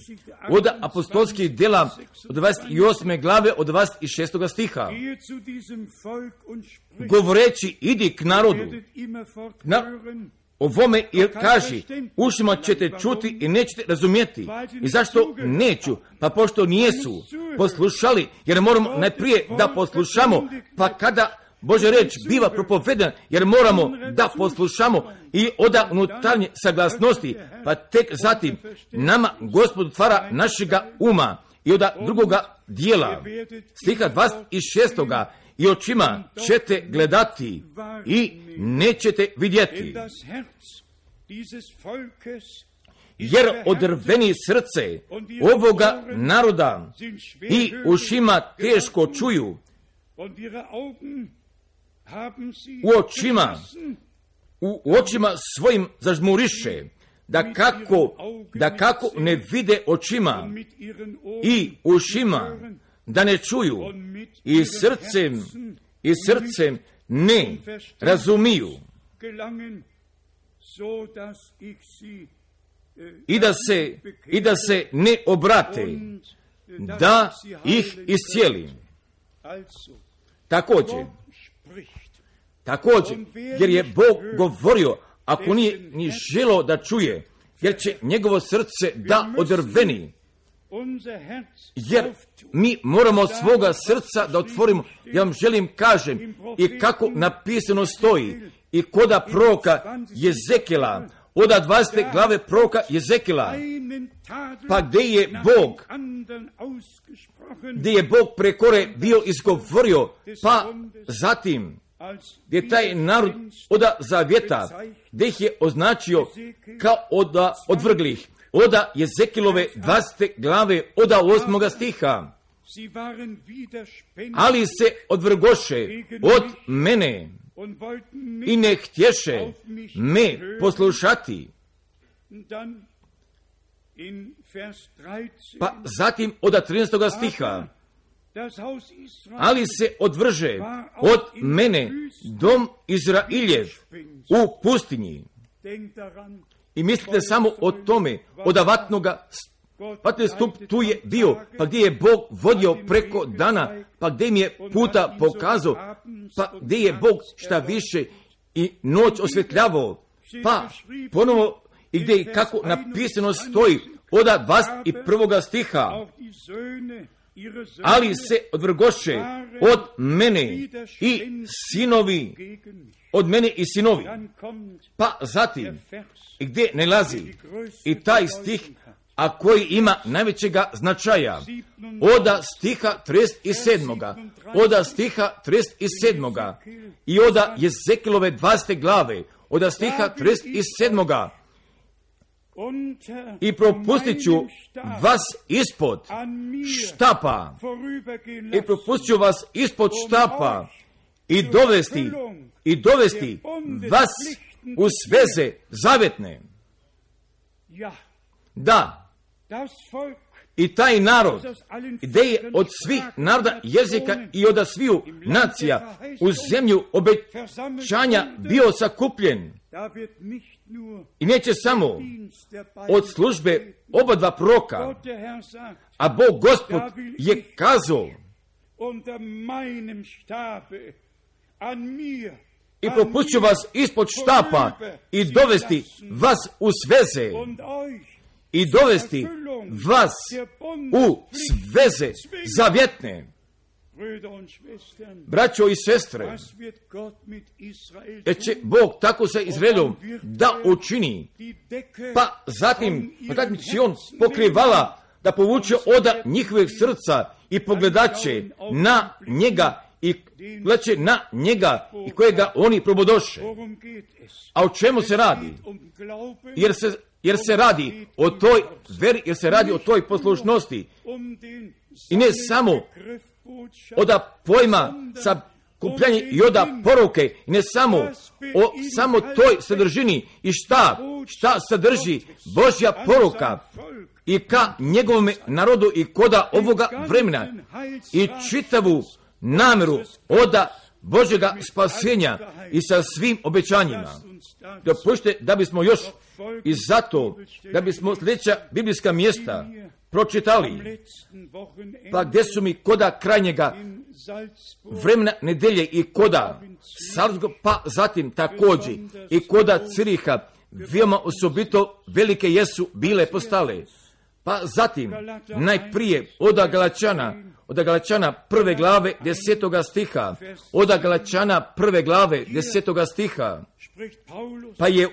Od apostolskih dela od 28. glave od 26. stiha, govoreći idi k narodu, ovome jer kaži, ušima ćete čuti i nećete razumjeti. I zašto neću? Pa pošto nijesu poslušali, jer moramo najprije da poslušamo, pa kada Božja reč biva propovedana, jer moramo da poslušamo i oda unutarnje saglasnosti, pa tek zatim nama Gospod otvara našega uma i oda drugoga dijela, stiha 26. i očima ćete gledati i nećete vidjeti. Jer odrveni srce ovoga naroda i ušima teško čuju, u očima svojim zažmuriše, da kako ne vide očima i ušima, da ne čuju i srcem ne razumiju, i da se ne obrate, da ih iscijeli. Također, jer je Bog govorio, ako nije ni želeo da čuje, jer će njegovo srce da odrveni, jer mi moramo svoga srca da otvorimo. Ja vam želim kažem i kako napisano stoji i koda proroka Jezekila, od 20. glave proroka Jezekila, pa gdje je Bog prekore bio izgovorio, pa zatim gdje taj narod od zavjeta, gdje ih je označio kao od odvrglih, od Jezekilove 20. glave od 8. stiha, ali se odvrgoše od mene i ne htješe me poslušati. Pa zatim od 13. stiha, ali se odvrže od mene dom Izrailjev u pustinji. I mislite samo o tome, od vatnoga stup tu je bio, pa gdje je Bog vodio preko dana, pa gdje mi je puta pokazao, pa gdje je Bog šta više i noć osvjetljavao, pa ponovo i gdje i kako napisano stoji od 21. stiha, ali se odvrgoše od mene i sinovi, od mene i sinovi. Pa zatim, i gdje nalazi i taj stih, a koji ima najvećega značaja, od stiha 37. Od stiha 37. i od Jezekilove 20. glave, od stiha 37. I propustit ću vas ispod štapa, i propustit ću vas ispod štapa i dovesti vas u sveze zavetne. Da, i taj narod, gdje je od svih naroda, jezika i od sviju nacija u zemlju obećanja bio sakupljen, i neće samo od službe oba dva proroka, a Bog Gospod je kazao, i propustit ću vas ispod štapa i dovesti vas u sveze, i dovesti vas u sveze zavjetne. Braćo i sestre, će Bog tako sa Izraelom da učini, pa zatim će on pokrivala da povuče od njihovih srca i pogledaće na njega i gledaće na njega i kojega oni probodoše. A o čemu se radi? Jer se radi o toj veri, jer se radi o toj poslušnosti. I ne samo od pojma sakupljanja i od poruke, i ne samo toj sadržini i šta sadrži Božja poruka i ka njegovom narodu i koda ovoga vremena i čitavu namjeru od Božjega spasenja i sa svim obećanjima. Dopustite da bismo još i zato, da bismo sljedeća biblijska mjesta pročitali, pa gdje su mi koda krajnjega vremena nedelje i koda Salzburga, pa zatim također i koda Ciriha, veoma osobito velike jesu bile postale. Pa zatim, najprije od Galačana 1. glave 10. stiha, od Galačana 1. glave 10. stiha, pa je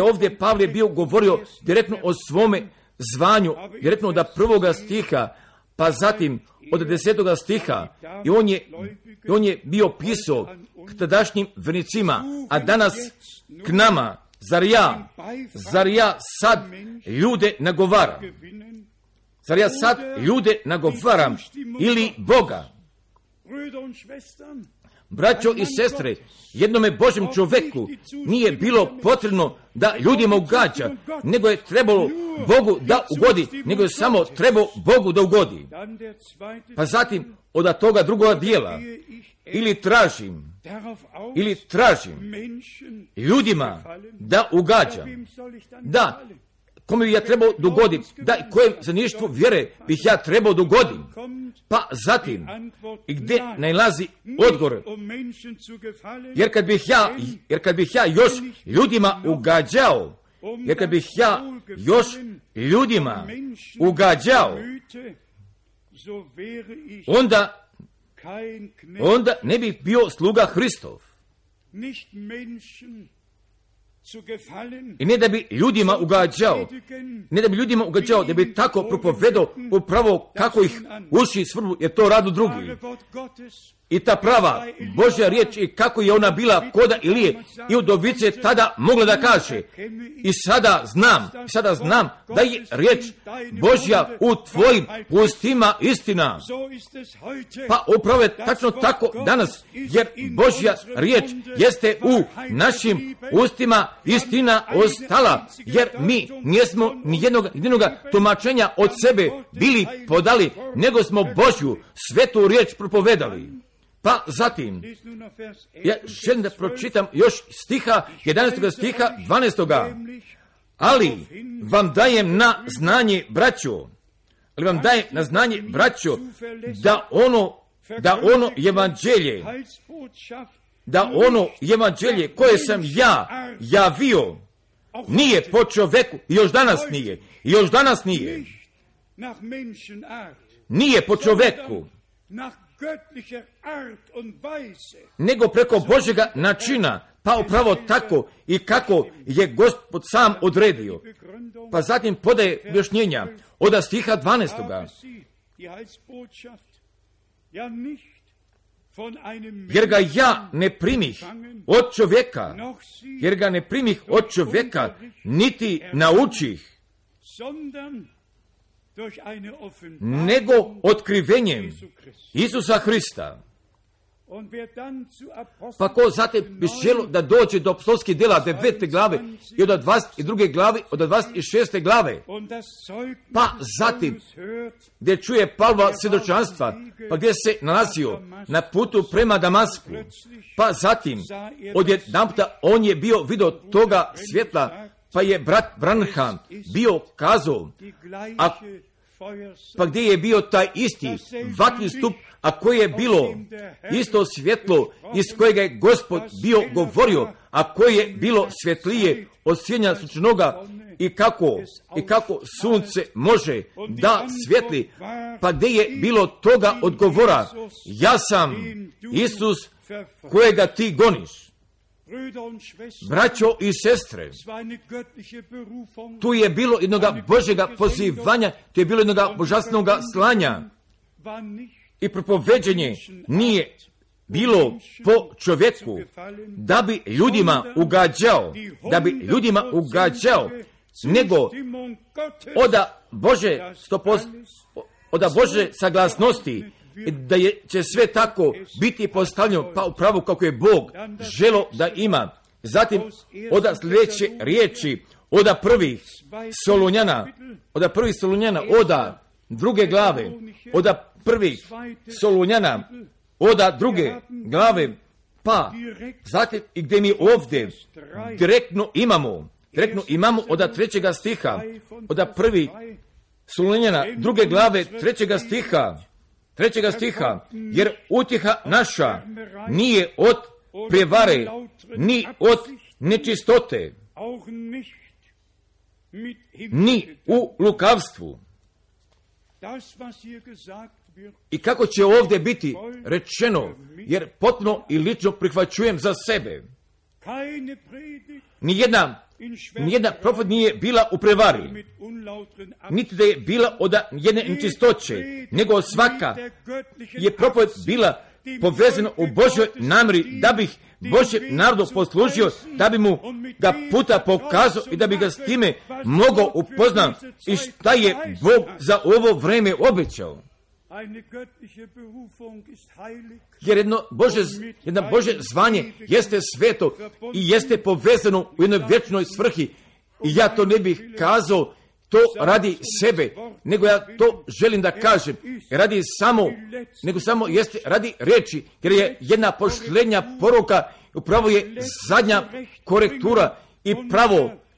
ovdje Pavle bio govorio direktno o svome zvanju, direktno od 1. stiha, pa zatim od 10. stiha, i on je bio pisao k tadašnjim vernicima, a danas k nama, zar ja sad ljude nagovaram? Zar ja sad ljude nagovaram ili Boga? Braćo i sestre, jednome Božjem čovjeku nije bilo potrebno da ljudima ugađa, nego je trebalo Bogu da ugodi, nego je samo trebao Bogu da ugodi. Pa zatim od toga drugoga dijela, ili tražim ljudima da ugađam. Da, kome bi ja trebao dogoditi, da i kojem zaništvu vjere bih ja trebao dogodim. Pa zatim, i gdje nalazi odgovor, jer kad bih ja još ljudima ugađao, Jer kad bih ja još ljudima ugađao, onda ne bih bio sluga Hristov. I ne da bi ljudima ugađao, da bi tako propovedao upravo kako ih uši svrbu, jer to radu drugi. I ta prava Božja riječ i kako je ona bila koda Ilije i udovice tada mogla da kaže. I sada znam da je riječ Božja u tvojim ustima istina. Pa upravo je tačno tako danas, jer Božja riječ jeste u našim ustima istina ostala, jer mi nismo nijednog tumačenja od sebe bili podali, nego smo Božju svetu riječ propovedali. Pa zatim, ja želim da pročitam još stiha, 11. stiha, 12. Ali vam dajem na znanje, braćo, da ono evanđelje koje sam ja javio nije po čoveku, i još danas nije. Nije po čoveku, nego preko Božjega načina, pa upravo tako i kako je Gospod sam odredio. Pa zatim podaje objašnjenja od stiha 12. Jer ga ja ne primih od čovjeka, niti naučih, nego otkrivenjem Isusa Hrista. Pa ko zatim bi želio da dođe do apostolskih djela 9. glave i od 22. glave, od 26. glave, pa zatim gdje čuje Pavlova svjedočanstva, pa gdje se nalazio na putu prema Damasku, pa zatim odjedanputa on je bio vidio toga svjetla, pa je brat Branham bio kazao, pa gdje je bio taj isti vatni stup, a koje je bilo isto svjetlo iz kojega je Gospod bio govorio, a koje je bilo svjetlije od sjenja sunčanoga, i kako sunce može da svjetli, pa gdje je bilo toga odgovora, ja sam Isus kojega ti goniš. Braćo i sestre, tu je bilo jednoga Božjega pozivanja, tu je bilo jednoga božanstvenoga slanja, i propoveđenje nije bilo po čovjeku, da bi ljudima ugađao, nego od Bože saglasnosti, da će sve tako biti postavljeno pa upravo kako je Bog želo da ima. Zatim od sljedeće riječi, od prvih Solunjana, od druge glave, od prvih Solunjana, od druge glave, pa zatim i gdje mi ovdje direktno imamo od 3. stiha, od prvih Solunjana, druge glave, 3. stiha, jer utjeha naša nije od prevare, ni od nečistote, ni u lukavstvu. I kako će ovdje biti rečeno, jer potpuno i lično prihvaćujem za sebe, nijedna profet nije bila u prevari, niti da je bila od jedne nečistoće, nego svaka je profet bila povezana u Božjoj namjeri, da bih Božjem narodu poslužio, da bi mu ga puta pokazao i da bi ga s time mogao upoznati i šta je Bog za ovo vreme obećao. Jer jedno Božje zvanje jeste sveto i jeste povezano u jednoj vječnoj svrhi. I ja to ne bih kazao to radi sebe, nego ja to želim da kažem jeste radi riječi, jer je jedna posljednja poruka, upravo je zadnja korektura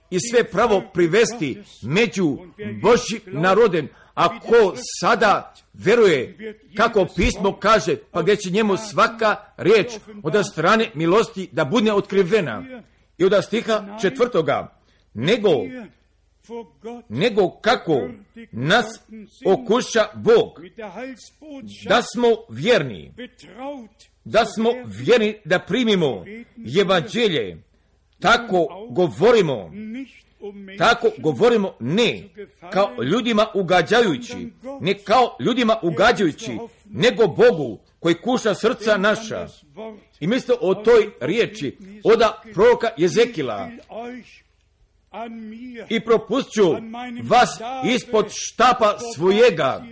i sve pravo privesti među Božjim narodem. Ako sada veruje kako pismo kaže, pa gdje će njemu svaka riječ od strane milosti da bude otkrivena. I od stiha 4. nego kako nas okuša Bog, da smo vjerni, da primimo evanđelje. Tako govorimo ne kao ljudima ugađajući, nego Bogu koji kuša srca naša. I mislite o toj riječi od proroka Jezekila: i propusću vas ispod štapa svojega,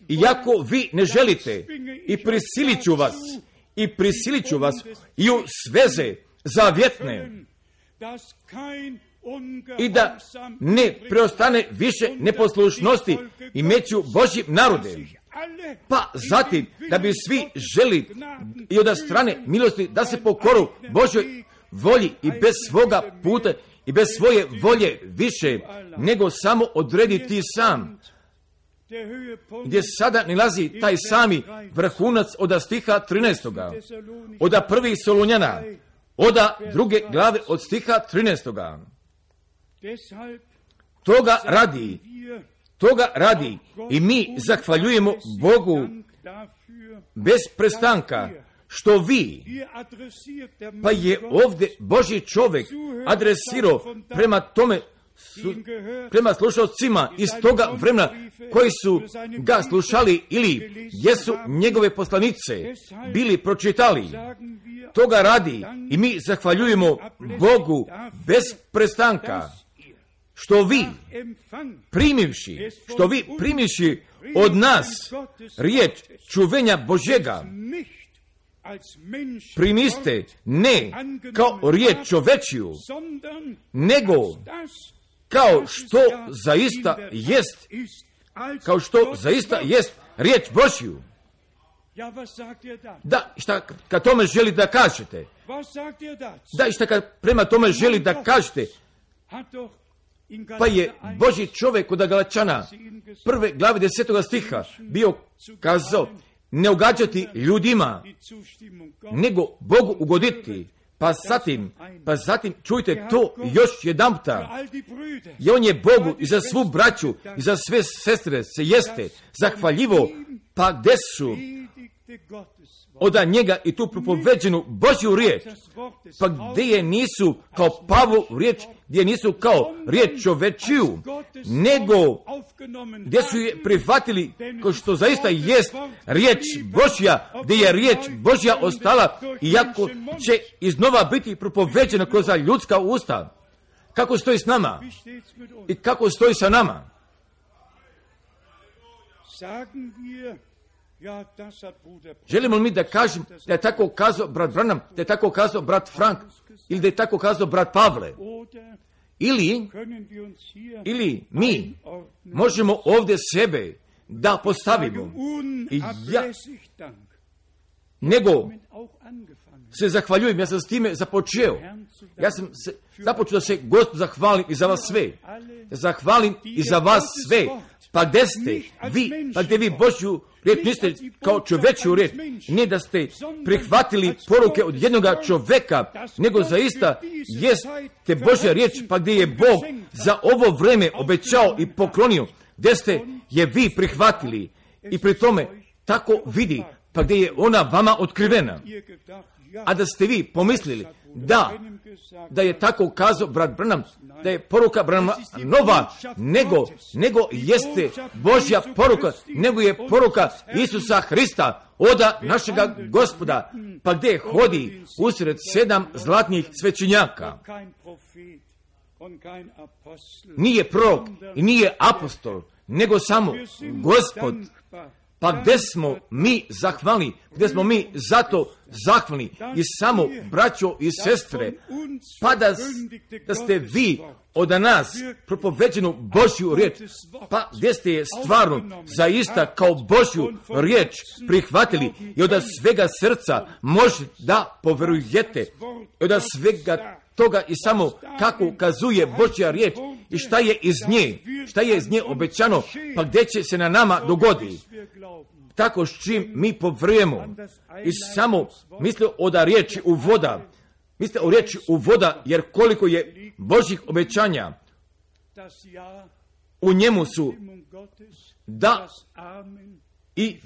iako vi ne želite, i prisilit ću vas i u sveze zavjetne, i da ne preostane više neposlušnosti i među Božjim narodem. Pa zatim, da bi svi želi i od strane milosti da se pokoru Božjoj volji i bez svoga puta i bez svoje volje više, nego samo odrediti sam. Gdje sada nalazi taj sami vrhunac od stiha 13. od 1. Solunjana, od 2. glave od stiha 13. Toga radi i mi zahvaljujemo Bogu bez prestanka, što vi, pa je ovdje Božji čovjek adresirao prema slušalcima iz toga vremena koji su ga slušali ili jesu njegove poslanice bili pročitali. Toga radi i mi zahvaljujemo Bogu bez prestanka, što vi primivši od nas riječ čuvenja Božjega, primiste ne kao riječ čovečiju, nego kao što zaista jest riječ Božju. Da, šta kad tome želi da kažete? Da, šta kad prema tome želi da kažete? Pa je Božji čovjek kod Galačana 1. glave 10. stiha bio kazao: ne ugađati ljudima, nego Bogu ugoditi. Pa zatim čujte to još jedanputa. I on je Bogu i za svu braću i za sve sestre se jeste zahvaljivo, pa gdje su od njega i tu propoveđenu Božju riječ, pa gdje je nisu kao Pavlu riječ, gdje nisu kao riječ čovečiju, nego gdje su je prihvatili kao što zaista jest riječ Božja, gdje je riječ Božja ostala, iako će iznova biti propoveđena kroz ljudska usta. Kako stoji s nama i kako stoji sa nama? Želimo li mi da kažem da je tako kazao brat Branham, da je tako kazao brat Frank, ili da je tako kazao brat Pavle? Ili mi možemo ovdje sebe da postavimo nego se zahvaljujem, ja sam s time započeo. Ja sam započeo da se Gospodu zahvalim i za vas sve. Zahvalim i za vas sve. Pa gdje ste vi, pa gdje vi Božju riječ niste kao čovečju riječ, ne da ste prihvatili poruke od jednoga čoveka, nego zaista jeste Božja riječ, pa gdje je Bog za ovo vreme obećao i poklonio, gdje ste je vi prihvatili i pri tome tako vidi, pa gdje je ona vama otkrivena. A da ste vi pomislili da je tako kazao brat Branham, da je poruka Branhama nova, nego jeste Božja poruka, nego je poruka Isusa Hrista, oda našega Gospoda, pa gdje hodi usred 7 zlatnih svećenjaka. Nije prorok i nije apostol, nego samo Gospod. Pa gdje smo mi zahvalni, gdje smo mi zato zahvalni i samo braćo i sestre, pa da ste vi od nas propoveđenu Božju riječ, pa gdje ste je stvarno zaista kao Božju riječ prihvatili i od svega srca možete da poverujete i od svega toga i samo kako ukazuje Božja riječ i šta je iz nje obećano, pa gdje će se na nama dogoditi. Tako s čim mi povrujemo i samo misli od riječi uvoda, mislite o riječi u voda, jer koliko je Božjih obećanja u njemu su da i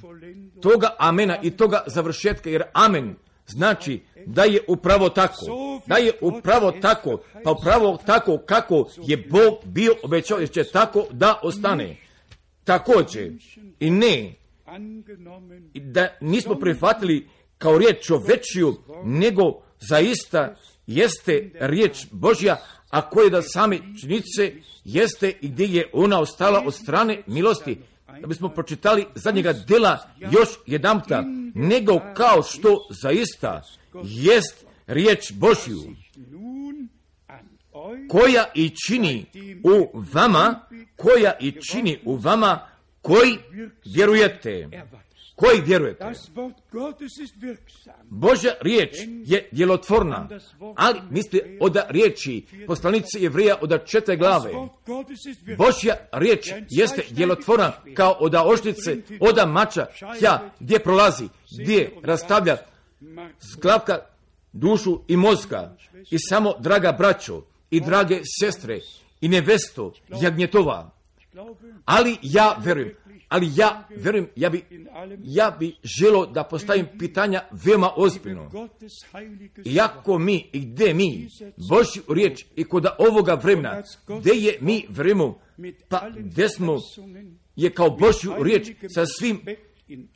toga amena i toga završetka, jer amen znači da je upravo tako, da je upravo tako, pa upravo tako kako je Bog bio obećao, jer će tako da ostane. Također i ne da nismo prihvatili kao riječ čovečiju, nego zaista jeste riječ Božja, a koje da same činjenice jeste i gdje je ona ostala od strane milosti. Da bismo pročitali zadnjega dela još jedanputa, nego kao što zaista jest riječ Božju, koja i čini u vama, koji vjerujete. Koji vjerujete. Božja riječ je djelotvorna, ali mislite od riječi poslanice Jevreja od 4 glave. Božja riječ jeste djelotvorna kao od oštrice, od mača, gdje prolazi, gdje rastavlja zglavka, dušu i mozga. I samo, draga braćo i drage sestre i nevesto jagnjetova, ali ja vjerujem, ja bi želio da postavim pitanja veoma ozbiljno. Iako mi i gdje mi Božju riječ i kod ovoga vremena, gdje je mi vremenu, pa gdje smo je kao Božju riječ sa svim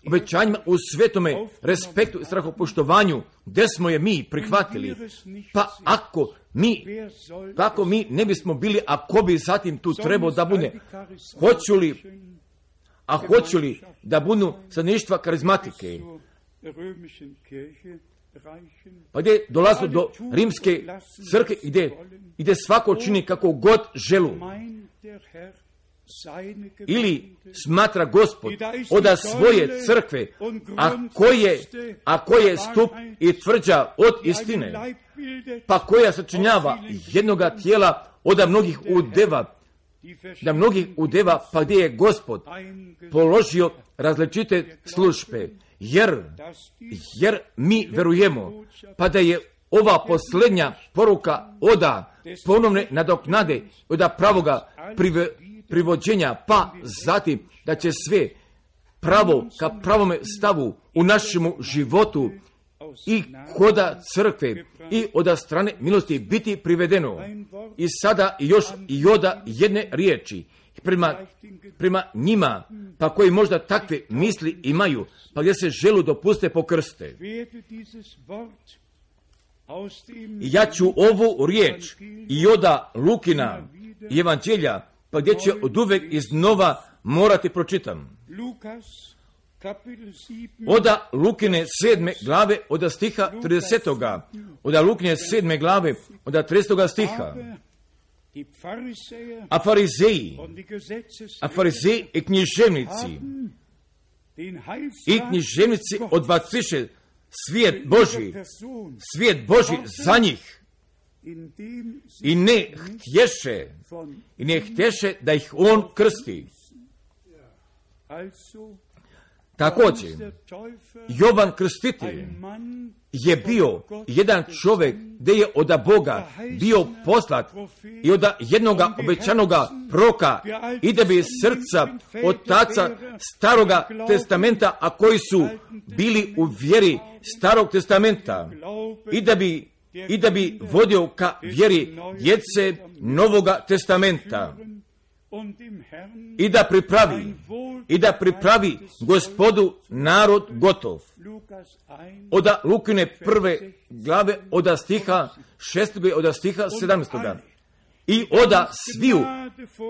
obećanjima u svetome respektu i strahopoštovanju, gdje smo je mi prihvatili, pa ako mi ne bismo bili, ako bi zatim tu trebao da bude, hoću li da budu stanovništva karizmatike, pa gdje dolazu do rimske crkve, gdje svako čini kako god želu, ili smatra Gospod od svoje crkve, a koje stup i tvrđa od istine, pa koja sačinjava jednoga tijela od mnogih udeva, pa gdje je Gospod položio različite službe, jer mi verujemo, pa da je ova posljednja poruka oda ponovne nadoknade, oda pravoga privođenja, pa zatim da će sve pravo ka pravome stavu u našemu životu i koda crkve i od strane milosti biti privedeno. I sada još i oda jedne riječi prema njima, pa koji možda takve misli imaju, pa gdje se želu dopuste pokrste. Ja ću ovu riječ i oda Lukina i Evanđelja, pa gdje će od uvek iznova morati pročitam. Oda Lukine 7. glave od stiha 30. Oda Lukine 7. glave od 30. stiha. A farizeji i književnici odbaciše svijet Božji za njih i ne htješe da ih on krsti. Također, Jovan Krstitelj je bio jedan čovjek gdje je od Boga bio poslat i od jednoga obećanoga proka i da bi srca otaca Staroga testamenta, a koji su bili u vjeri Starog testamenta, i da bi vodio ka vjeri djece Novoga testamenta i da pripravi Gospodu narod gotov. Od Lukine 1. glave od stiha 6. od stiha 17. I oda sviju,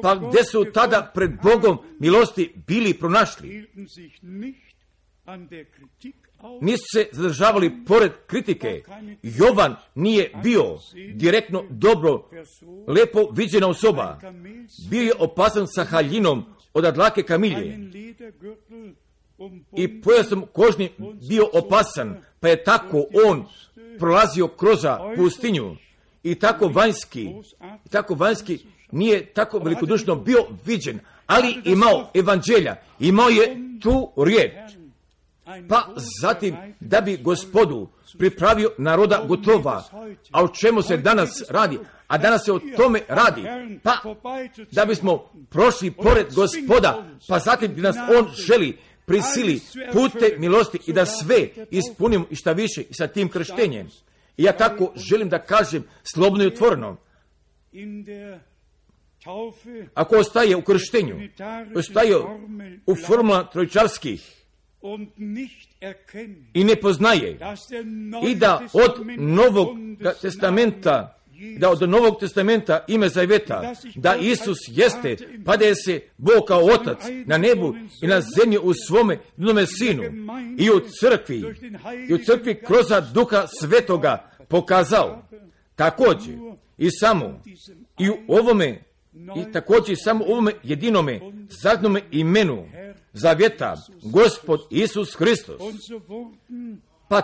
pa gdje su tada pred Bogom milosti bili pronašli. Nisu se zadržavali pored kritike. Jovan nije bio direktno dobro, lepo viđena osoba. Bio je opasan sa haljinom od dlake kamilje. I pojasom kožni bio opasan, pa je tako on prolazio kroz pustinju. I tako vanjski nije tako velikodušno bio viđen, ali imao evanđelja, imao je tu riječ. pa zatim da bi Gospodu pripravio naroda gotova. A o čemu se danas radi? A danas se o tome radi, pa da bismo prošli pored Gospoda, pa zatim da nas On želi prisili pute milosti i da sve ispunimo i šta više i sa tim krštenjem. I ja tako želim da kažem slobodno i otvoreno. Ako ostaje u krštenju, ostaje u formula trojičarskih i ne poznaje i da od Novog testamenta ime zaveta, da Isus jeste, pa da je se Bog kao Otac na nebu i na zemlji u svome jednome Sinu i u crkvi kroz Duha Svetoga pokazao. Također i samo i u ovome i također samo u ovome jedinome zadnjome imenu zavjeta, Gospod Isus Hristos. Pa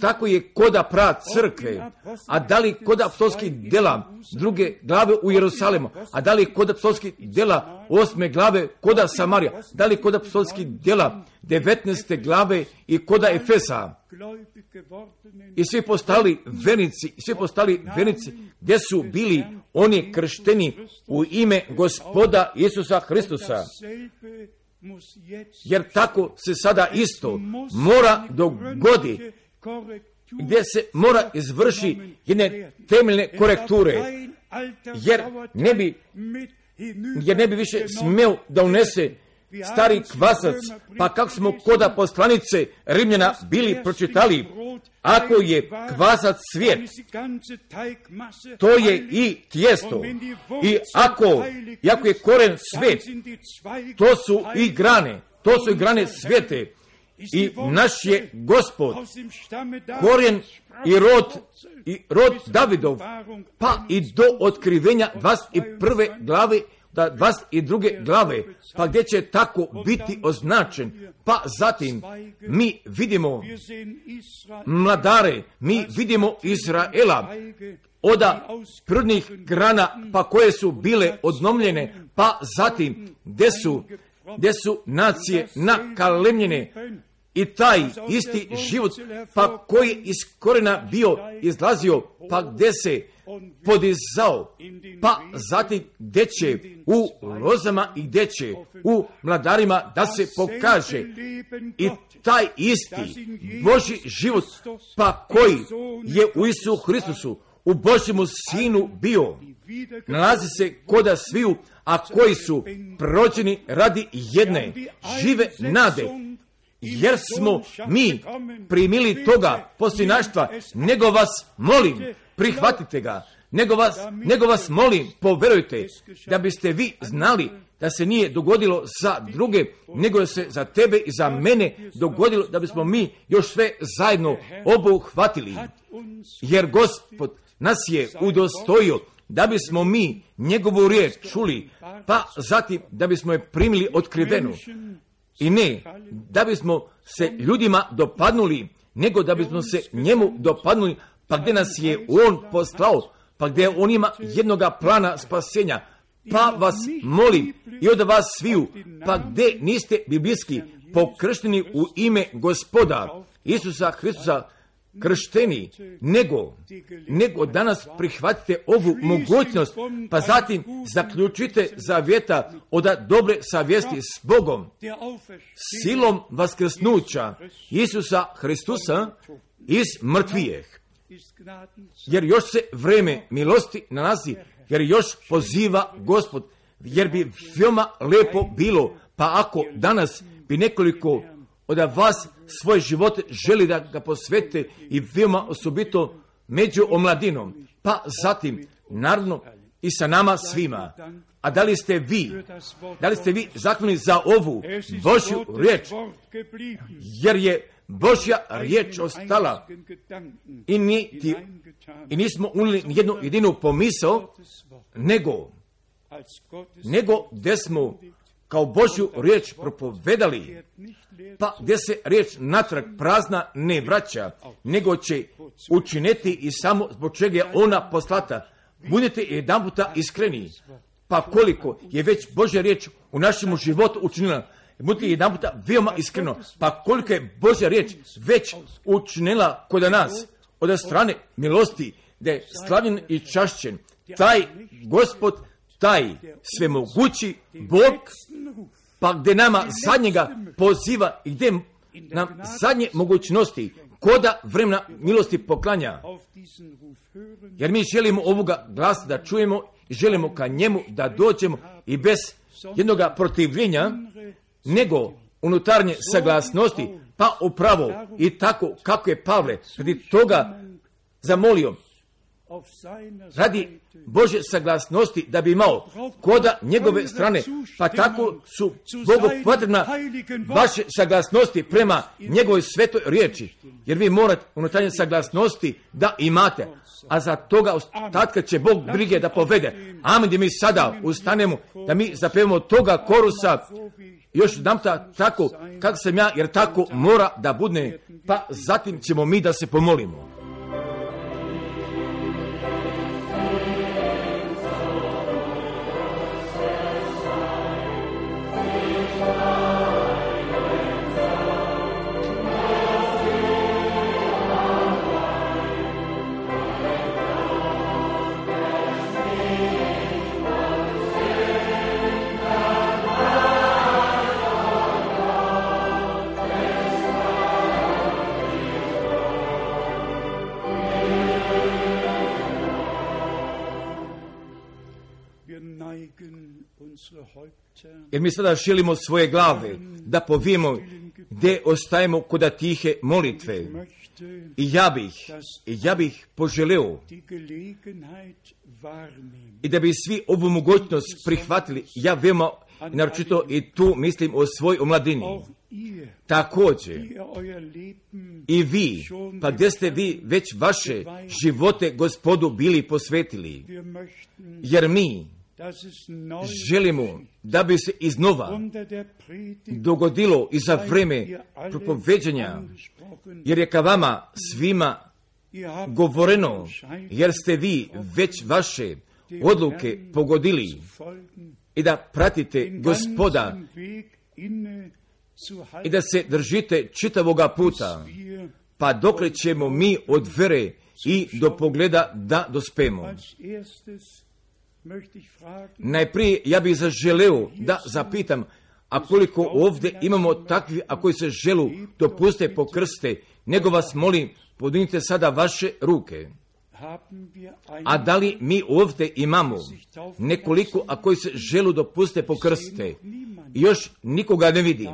tako je koda crkve, a da li kod apostolskih dela 2. glave u Jerusalimu, a da li kod apostolskih dela 8. glave koda Samarija, da li kod apostolskih dela 19. glave i koda Efesa. I svi postali vernici, gdje su bili oni kršteni u ime Gospoda Isusa Hristusa. Jer tako se sada isto mora dogoditi, gdje se mora izvrši jedne temeljne korekture, jer ne bi više smio da unese stari kvasac, pa kako smo koda poslanice Rimljana bili pročitali, ako je kvasac svijet, to je i tijesto. I ako je koren svijet, to su i grane svijete. I naš je Gospod korijen i rod Davidov, pa i do otkrivenja 21. glave, 22. glave, pa gdje će tako biti označen. Pa zatim mi vidimo mladare, mi vidimo Izraela od prvnih grana, pa koje su bile odnomljene, pa zatim gdje su nacije nakalemljene. I taj isti život, pa koji je iz korena bio izlazio, pa gdje se podizao, pa zatim gdje će u lozama i gdje će u mladarima da se pokaže i taj isti Božji život, pa koji je u Isusu Hristusu, u Božjemu Sinu bio, nalazi se koda sviju, a koji su prođeni radi jedne žive nade, jer smo mi primili toga posljednaštva, nego vas molim, prihvatite ga, nego vas molim, poverujte, da biste vi znali da se nije dogodilo za druge, nego se za tebe i za mene dogodilo, da bismo mi još sve zajedno obuhvatili, jer Gospod nas je udostojio da bismo mi njegovu riječ čuli, pa zatim da bismo je primili otkrivenu. I ne da bismo se ljudima dopadnuli, nego da bismo se njemu dopadnuli, pa gdje nas je on poslao, pa gdje on ima jednoga plana spasenja. Pa vas molim i od vas sviju, pa gdje niste biblijski pokršteni u ime Gospoda Isusa Hristusa kršteni, nego danas prihvatite ovu mogućnost, pa zatim zaključite zavjeta od dobre savjesti s Bogom, silom vaskrsnuća Isusa Hristusa iz mrtvijeh. Jer još se vreme milosti nalazi, jer još poziva Gospod, jer bi veoma lepo bilo, pa ako danas bi nekoliko od vas svoje živote želi da ga posvete i veoma osobito među omladinom, pa zatim naravno i sa nama svima. A da li ste vi zahvalni za ovu Božju riječ, jer je Božja riječ ostala i nismo unijeli jednu jedinu pomisao, nego gdje smo kao Božju riječ propovedali, pa gdje se riječ natrag prazna ne vraća, nego će učiniti i samo zbog čega je ona poslata. Budite jedanputa iskreni, pa koliko je već Božja riječ u našem životu učinila, Budite jedan puta veoma iskreno, pa koliko je Božja riječ već učinila kod nas od strane milosti, da je slavljen i čašćen taj Gospod, taj svemogući Bog, pa gdje nama zadnjega poziva i gdje nam zadnje mogućnosti koda vremena milosti poklanja. Jer mi želimo ovoga glasa da čujemo i želimo ka njemu da dođemo i bez jednoga protivljenja, nego unutarnje saglasnosti, pa upravo i tako kako je Pavle radi toga zamolio, radi Božje saglasnosti da bi imao koda njegove strane, pa tako su Bogu potrebna vaše saglasnosti prema njegovoj svetoj riječi, jer vi morate unutarnje saglasnosti da imate, a za toga ostatka će Bog brige da povede. Amen, da mi sada ustanemo, da mi zapevamo toga korusa, još jedanputa tako kako sam ja, jer tako mora da bude, pa zatim ćemo mi da se pomolimo. Jer mi sada šilimo svoje glave da povijemo gdje ostajemo koda tihe molitve. I ja bih poželeo i da bi svi ovu mogućnost prihvatili. Ja veoma naročito i tu mislim o svoj omladini. Također i vi, pa gdje ste vi već vaše živote Gospodu bili posvetili. Jer mi želimo da bi se iznova dogodilo i za vreme propoveđanja, jer je ka vama svima govoreno, jer ste vi već vaše odluke pogodili i da pratite Gospoda i da se držite čitavoga puta, pa dokle ćemo mi od vere i do pogleda da dospemo. Najprije ja bih zaželeo da zapitam, a koliko ovdje imamo takvi, a koji se želu dopuste pokrste, nego vas molim, podignite sada vaše ruke. A da li mi ovdje imamo nekoliko, a koji se želu dopuste pokrste? Još nikoga ne vidim,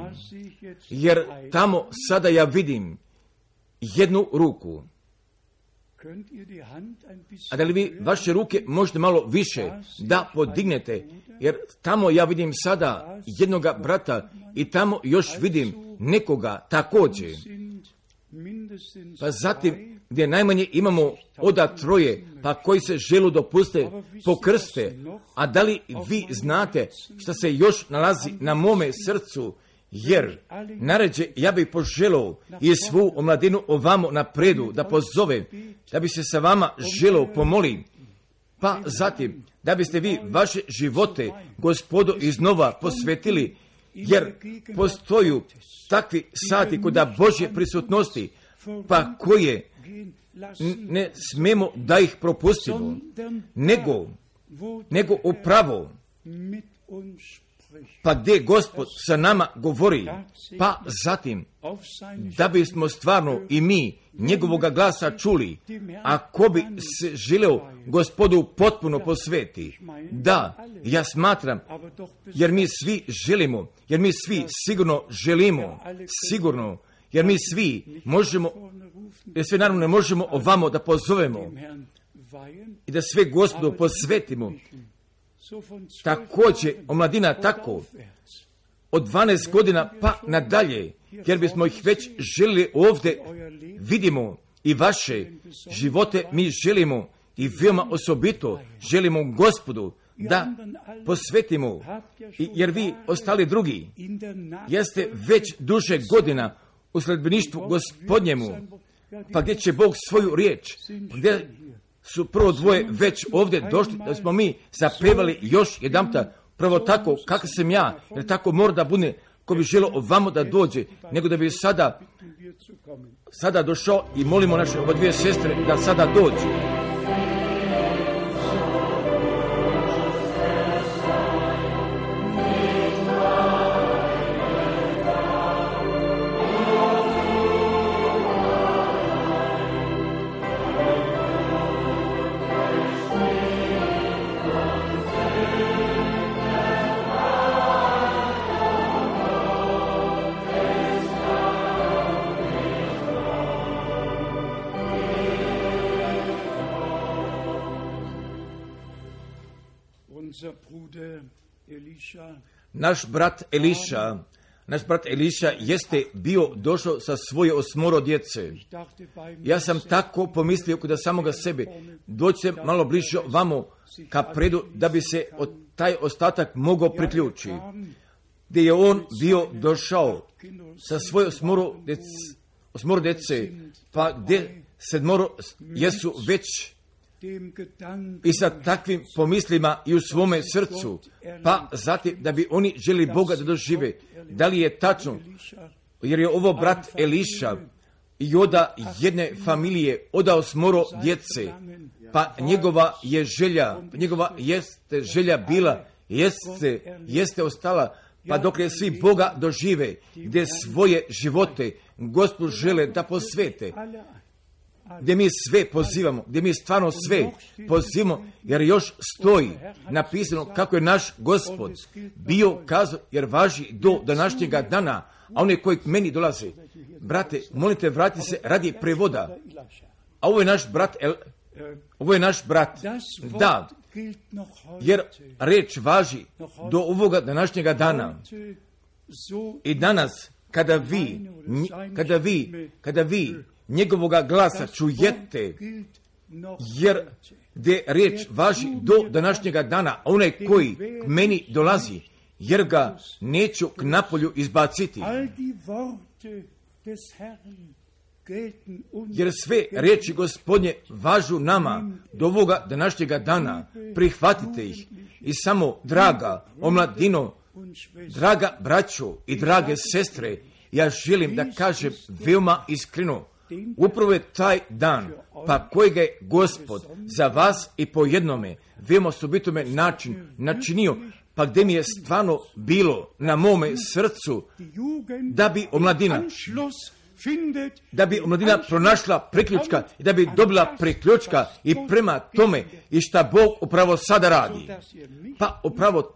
jer tamo sada ja vidim jednu ruku. A da li vi vaše ruke možete malo više da podignete, jer tamo ja vidim sada jednoga brata i tamo još vidim nekoga također. Pa zatim gdje najmanje imamo oda troje, pa koji se želu dopuste pokrste. A da li vi znate što se još nalazi na mome srcu? Jer naređe ja bih poželao i svu omladinu ovamo napredu da pozove, da bi se sa vama želao pomoli, pa zatim da biste vi vaše živote Gospodu iznova posvetili, jer postoju takvi sati kod Božje prisutnosti, pa koje ne smemo da ih propustimo, nego upravo pa gdje Gospod sa nama govori, pa zatim da bismo stvarno i mi njegovoga glasa čuli, ako bi se želeo Gospodu potpuno posveti. Da, ja smatram, jer mi svi želimo, jer mi svi sigurno želimo, sigurno, jer mi svi možemo, jer sve naravno ne možemo ovamo da pozovemo i da sve Gospodu posvetimo. Također omladina tako od 12 godina pa nadalje, jer bismo ih već želili ovdje vidimo i vaše živote mi želimo i veoma osobito želimo Gospodu da posvetimo, jer vi ostali drugi jeste već duže godina u sledbeništvu Gospodnjemu, pa gdje će Bog svoju riječ, gdje su prvo dvoje već ovdje došli, da smo mi zapevali još jedanputa, prvo tako kako sam ja, jer tako mora da bude, ko bi želio ovamo da dođe, nego da bi sada došao i molimo naše oba dvije sestre da sada dođu. Naš brat Eliša jeste bio došao sa svoje 8 djece. Ja sam tako pomislio kod samoga sebe, doći malo bliže vamo ka predu da bi se taj ostatak mogao priključiti. Gdje je on bio došao sa svoje 8 djece, pa gdje 7 jesu već i sa takvim pomislima i u svome srcu, pa zatim da bi oni želi Boga da dožive. Da li je tačno? Jer je ovo brat Eliša i oda jedne familije odao 8 djece, pa njegova jeste želja bila, jeste ostala, pa dok je svi Boga dožive, gdje svoje živote Gospod žele da posvete, gdje mi sve pozivamo, gdje mi stvarno sve pozivamo, jer još stoji napisano kako je naš Gospod bio kazao, jer važi do današnjega dana, a one koji k meni dolaze, brate, molite, vrati se radi prevoda, a ovo je naš brat, da, jer reč važi do ovoga današnjega dana. I danas, kada vi njegovoga glasa čujete, jer gdje reč važi do današnjega dana, a onaj koji k meni dolazi, jer ga neću k napolju izbaciti. Jer sve riječi Gospodnje važu nama do ovoga današnjega dana. Prihvatite ih. I samo, draga omladino, draga braćo i drage sestre, ja želim da kažem veoma iskreno, upravo je taj dan, pa kojega je Gospod za vas i po jednome, veoma osobitome načinio, pa gdje mi je stvarno bilo na mome srcu da bi omladina pronašla priključka i da bi dobila priključka i prema tome i šta Bog upravo sada radi. Pa upravo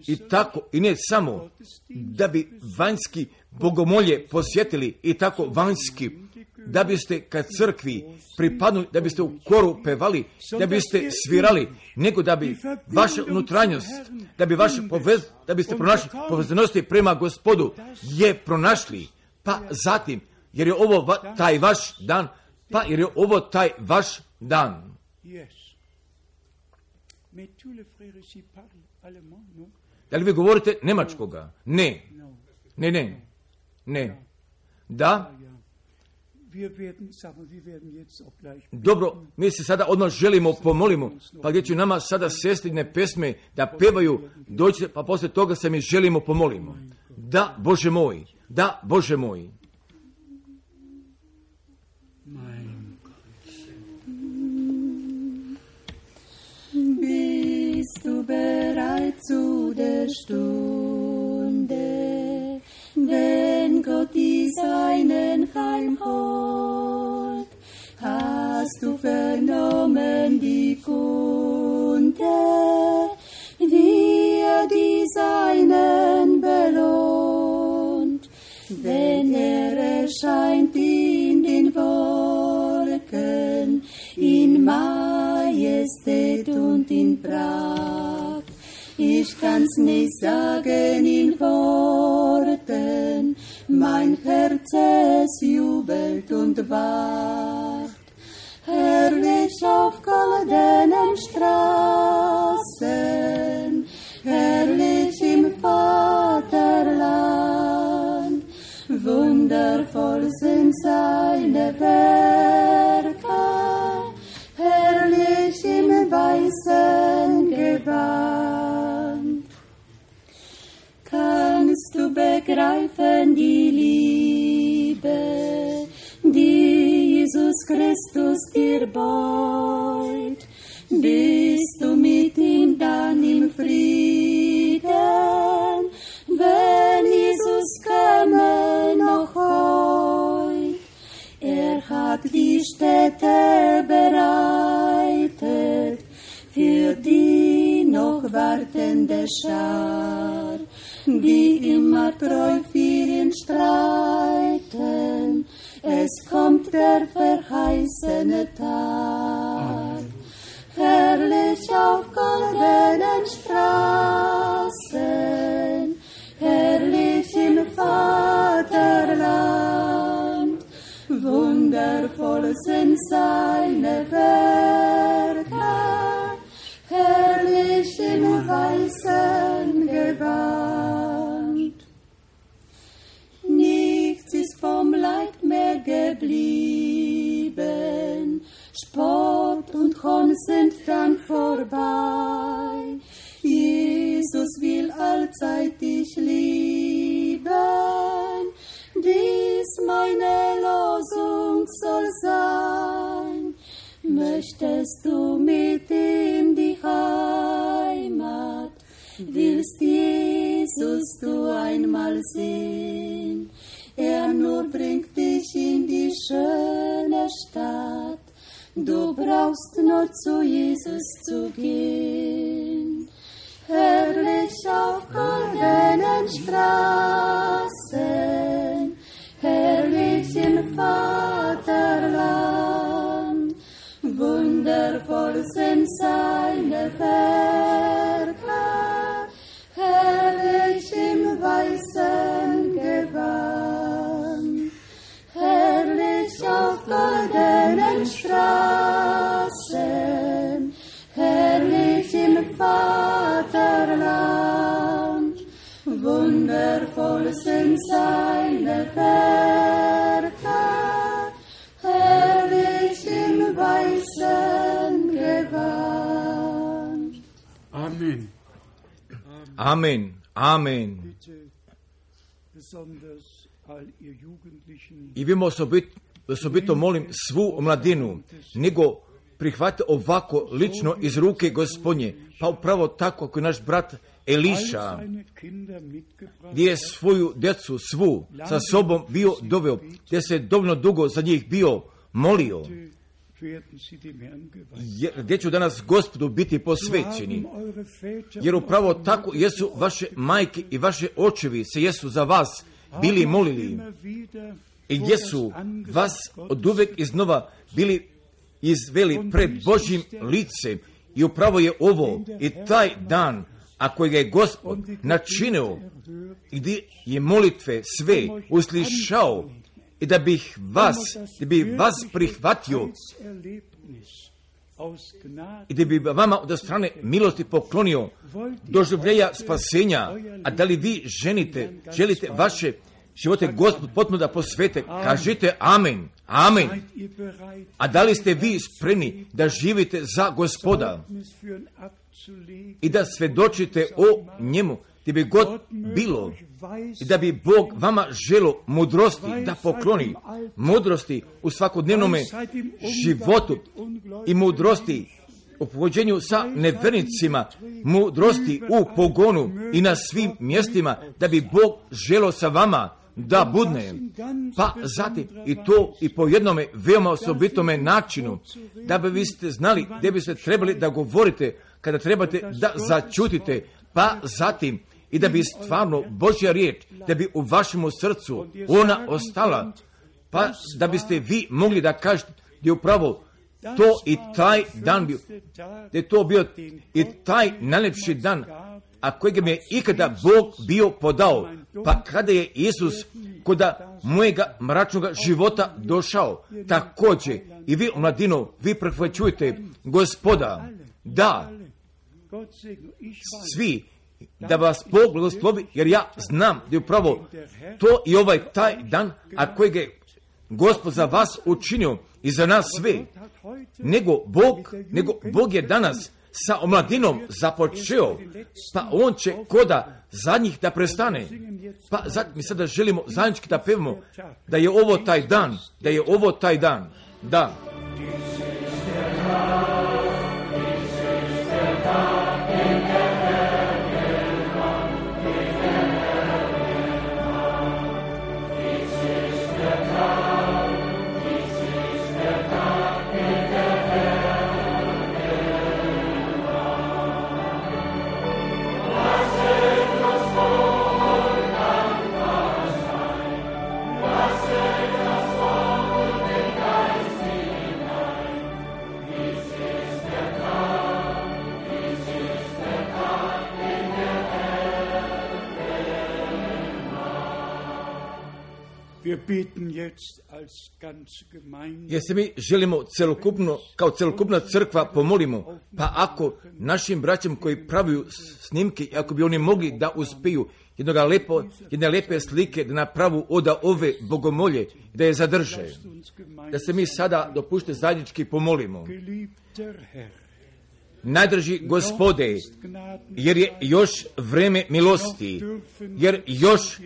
i tako, i ne samo da bi vanjski bogomolje posjetili i tako vanjski, da biste kad crkvi pripadnuli, da biste u koru pevali, da biste svirali, nego da bi vaša unutranjost, da biste pronašli povezanosti prema Gospodu, je pronašli, pa zatim, jer je ovo taj vaš dan, Da li vi govorite nemačkoga? Ne. Da? Dobro, mi se sada odmah želimo pomolimo, pa gdje će nama sada sestrine pesme da pevaju, dođite, pa poslije toga se mi želimo pomolimo. Da, Bože moj, da, Bože moj. Bist du bereit zu der Stunde, wenn Gott die Seinen heimholt? Hast du vernommen die Kunde, wie die Seinen belohnt, wenn erscheint in den Wolken, in Majestät und in Pracht. Ich kann's nicht sagen in Worten, mein Herz es jubelt und wacht. Herrlich auf goldenen Straßen, herrlich im Vaterland, wundervoll sind seine Werke, herrlich im weißen Gewand. Kannst du begreifen die Liebe, die Jesus Christus dir beut. Bist du mit ihm dann im Frieden, wenn Jesus käme noch heut? Hat die Städte bereitet für die noch wartende Schar, die immer treu für ihn streiten. Es kommt der verheißene Tag. Herrlich auf goldenen Straßen, herrlich im Vaterland. Wundervoll sind seine Werke, herrlich im weißen Gewand. Nichts ist vom Leid mehr geblieben, Spott und Hohn sind dann vorbei. Jesus will allzeit dich lieben, dies meine Losung soll sein. Möchtest du mit in die Heimat, willst Jesus du einmal sehen? Er nur bringt dich in die schöne Stadt, du brauchst nur zu Jesus zu gehen. Herrlich auf goldenen Straßen, herrlich im Vaterland. Wundervoll sind seine Werke, herrlich im weißen Gewand. Herrlich auf goldenen Straßen, herrlich im Vaterland. Wundervoll sind seine Werke, herrlich im weißen Gewand. Amen. Amen. Amen. Bitte besonders all ihr Jugendlichen, I vi osobito molim svu mladinu, nego prihvate ovako lično iz ruke Gospodnje, pa upravo tako kao naš brat Eliša, all seine Kinder mitgebracht gdje je svoju djecu svu sa sobom bio doveo, gdje se dovoljno dugo za njih bio molio, werden sie dem Herrn geweiht. gdje ću danas Gospodu biti posvećeni. Jer upravo tako jesu vaše majke i vaše očevi se jesu za vas bili molili i gdje su vas od uvek iznova bili izveli pred Božjim licem. I upravo je ovo i taj dan, a kojega je Gospod načinio i gdje je molitve sve uslišao i da bi vas prihvatio i da bi vama od strane milosti poklonio doživljenja spasenja. A da li vi želite vaše živote Gospod potpuno da posvete? Kažite amen, amen. A da li ste vi spremni da živite za Gospoda i da svedočite o njemu gdje bi god bilo i da bi Bog vama želo mudrosti da pokloni, mudrosti u svakodnevnom životu i mudrosti u povođenju sa nevernicima, mudrosti u pogonu i na svim mjestima, da bi Bog želo sa vama da budne. Pa zatim i to i po jednome veoma osobitome načinu, da bi vi ste znali gdje biste trebali da govorite kada trebate da začutite, pa zatim i da bi stvarno Božja riječ, da bi u vašem srcu ona ostala, pa da biste vi mogli da kažete da je upravo to i taj dan bio, da je to bio i taj najlepši dan, a kojeg mi je ikada Bog bio podao, pa kada je Isus koda mojega mračnog života došao, također i vi, mladino, vi prihvaćujete Gospoda, da svi, da vas Bog blagoslovi, jer ja znam da je upravo to i ovaj taj dan, a kojeg je Gospod za vas učinio i za nas sve. Nego Bog je danas sa omladinom započeo, pa on će koda zadnjih da prestane. Pa mi sada želimo zajednički da pevamo da je ovo taj dan, da je ovo taj dan. Da. Jer se mi želimo celokupno, kao celokupna crkva pomolimo, pa ako našim braćom koji pravuju snimke, ako bi oni mogli da uspiju jedne lepe slike da napravu od ove bogomolje, da je zadrže, da se mi sada dopušte zajednički pomolimo. Najdraži Gospode, jer je još vreme milosti, jer još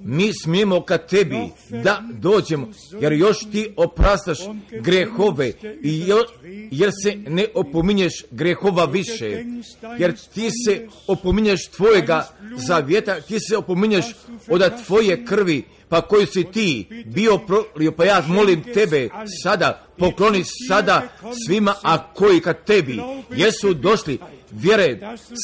mi smijemo ka tebi da dođemo, jer još ti opraštaš grehove, jer se ne opominješ grehova više, jer ti se opominješ tvojega zavjeta, ti se opominješ od tvoje krvi, pa koju si ti bio prolio, pa ja molim tebe sada, pokloni sada svima, a koji kad tebi jesu došli vjere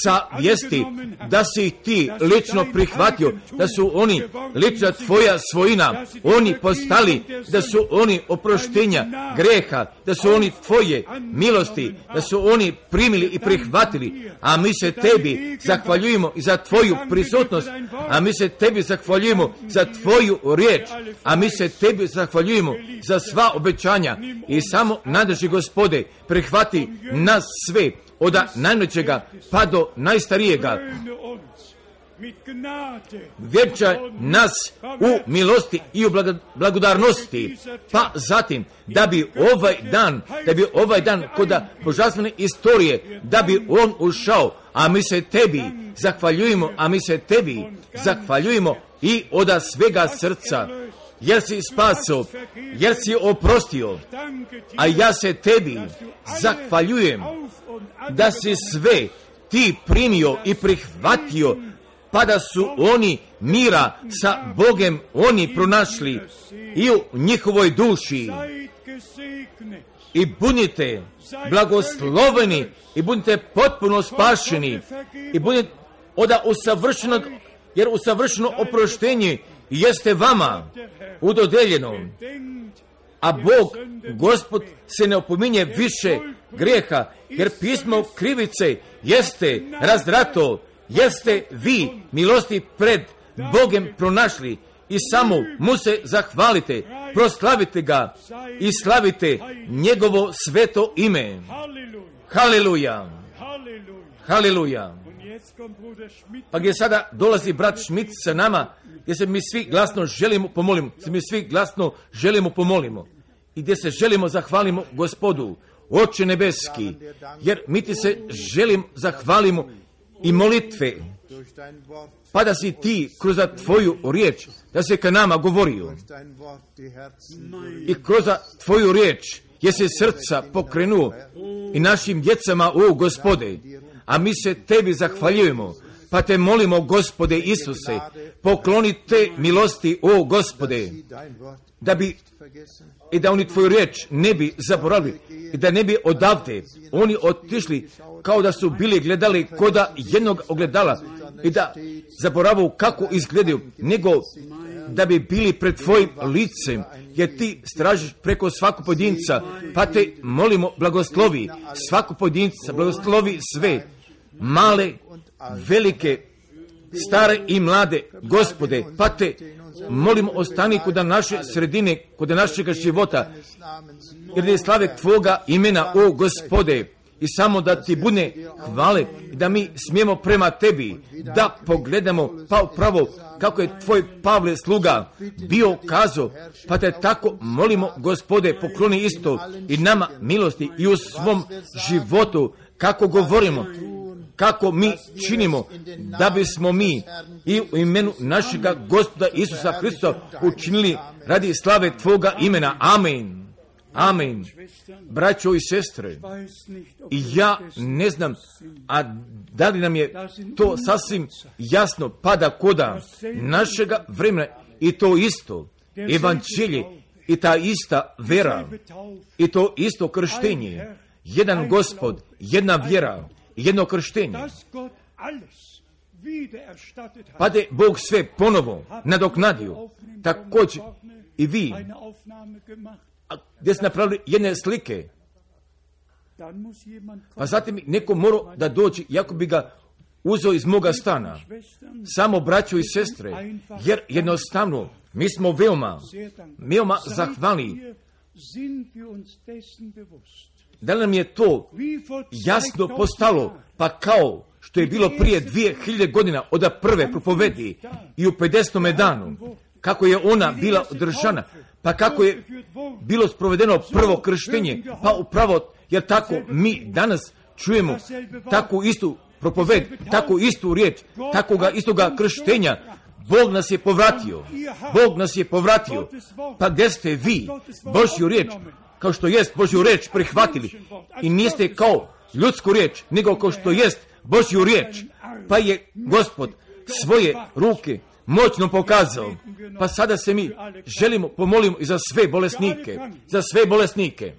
sa vijesti, da si ih ti lično prihvatio, da su oni lična tvoja svojina, oni postali, da su oni oproštenja greha, da su oni tvoje milosti, da su oni primili i prihvatili, a mi se tebi zahvaljujemo i za tvoju prisutnost, a mi se tebi zahvaljujemo za tvoju riječ, a mi se tebi zahvaljujemo za sva obećanja i samo najdraži Gospode, prihvati nas sve, od najmlađega pa do najstarijega. Vječaj nas u milosti i u blagodarnosti, pa zatim da bi ovaj dan kod božanstvene istorije, da bi on ušao, a mi se tebi zahvaljujemo i od svega srca, jer si spasio, jer si oprostio, a ja se tebi zahvaljujem da si sve ti primio i prihvatio, pa da su oni mira sa Bogem oni pronašli i u njihovoj duši. I budite blagosloveni i budite potpuno spašeni i budite od usavršenog, jer usavršeno oproštenje jeste vama udodeljeno, a Bog, Gospod, se ne opominje više grijeha, jer pismo krivice jeste razdrato, jeste vi milosti pred Bogem pronašli i samo mu se zahvalite, proslavite ga i slavite njegovo sveto ime. Haleluja! Haleluja! Pa gdje sada dolazi brat Schmidt sa nama, gdje se mi svi glasno želimo pomolimo, i gdje se želimo zahvalimo Gospodu, Oče nebeski, jer mi ti se zahvalimo i molitve, pa da si ti kroz tvoju riječ, da se ka nama govorio, i kroz tvoju riječ je se srca pokrenuo i našim djecama, o Gospode, a mi se tebi zahvaljujemo, pa te molimo, Gospode Isuse, pokloni te milosti, o Gospode, da bi i da oni tvoju riječ ne bi zaboravili i da ne bi odavde oni otišli kao da su bili gledali koda jednog ogledala i da zaboravu kako izgledaju, nego da bi bili pred tvojim licem, jer ti stražiš preko svakog pojedinca, pa te molimo, blagoslovi svakog pojedinca, blagoslovi sve, male, velike, stare i mlade, Gospode, pa te molimo, ostani kod naše sredine, kod našega života, jer je slave tvoga imena, o Gospode, i samo da ti bude hvale i da mi smijemo prema tebi da pogledamo pa upravo kako je tvoj Pavle sluga bio kazao, pa te tako molimo, Gospode, pokloni isto i nama milosti i u svom životu kako govorimo, kako mi činimo, da bismo mi i u imenu našega Gospoda Isusa Hrista učinili radi slave Tvoga imena. Amen. Amen. Braćo i sestre, i ja ne znam, a da li nam je to sasvim jasno pada koda našega vremena i to isto evanđelje i ta ista vera i to isto krštenje, jedan Gospod, jedna vjera, jedno krštenje. Pa da je Bog sve ponovo nadoknadio, također i vi, gdje ste napravili jedne slike, pa zatim neko mora da dođe, jako bi ga uzeo iz moga stana, samo braćo i sestre, jer jednostavno mi smo veoma zahvalni. Da li nam je to jasno postalo, pa kao što je bilo prije 2000 godina od prve propovedi i u 50. danu, kako je ona bila održana, pa kako je bilo sprovedeno prvo krštenje, pa upravo, jer tako mi danas čujemo takvu istu propoved, takvu istu riječ, takvoga istoga krštenja. Bog nas je povratio. Bog nas je povratio. Pa gdje ste vi Božju riječ, kao što jest Božju riječ prihvatili i niste kao ljudsku riječ, nego kao što jest Božju riječ, pa je Gospod svoje ruke moćno pokazao. Pa sada se mi želimo, pomolimo i za sve bolesnike, za sve bolesnike.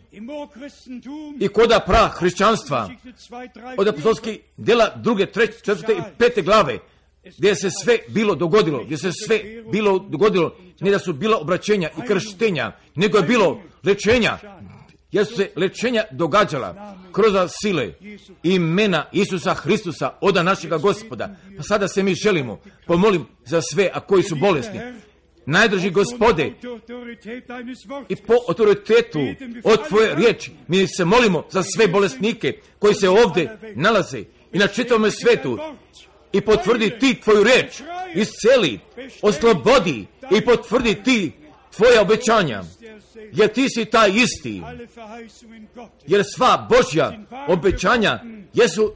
I koda pra hrišćanstva, od apostolskih djela 2., 3., 4. i 5. glave, gdje se sve bilo dogodilo, ne da su bila obraćenja i krštenja, nego je bilo lečenja, jer su se lečenja događala kroz sile imena Isusa Hristusa, oda našega Gospoda. Pa sada se mi želimo, pomolim za sve, a koji su bolesni. Najdraži Gospode, i po autoritetu od Tvoje riječi, mi se molimo za sve bolesnike koji se ovdje nalaze i na čitavom svetu, i potvrdi Ti Tvoju riječ, isceli, oslobodi i potvrdi Ti Tvoja obećanja, jer Ti si taj isti, jer sva Božja obećanja jesu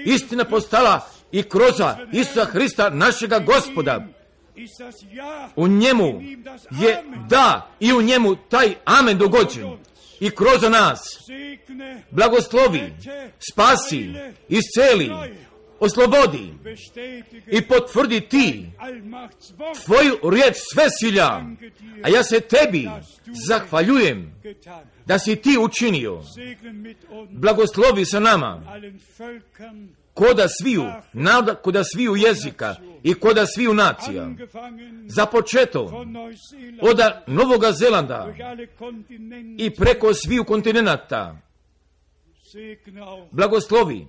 istina postala i kroz Isusa Hrista našega Gospoda. U njemu je da i u njemu taj amen dogođen i kroz nas blagoslovi, spasi, isceli, oslobodi i potvrdi Ti Tvoju riječ svesilja, a ja se Tebi zahvaljujem da si Ti učinio. Blagoslovi sa nama koda sviju naroda, koda sviju jezika i koda sviju nacija, započeto od Novoga Zelanda i preko sviju kontinenata. Blagoslovi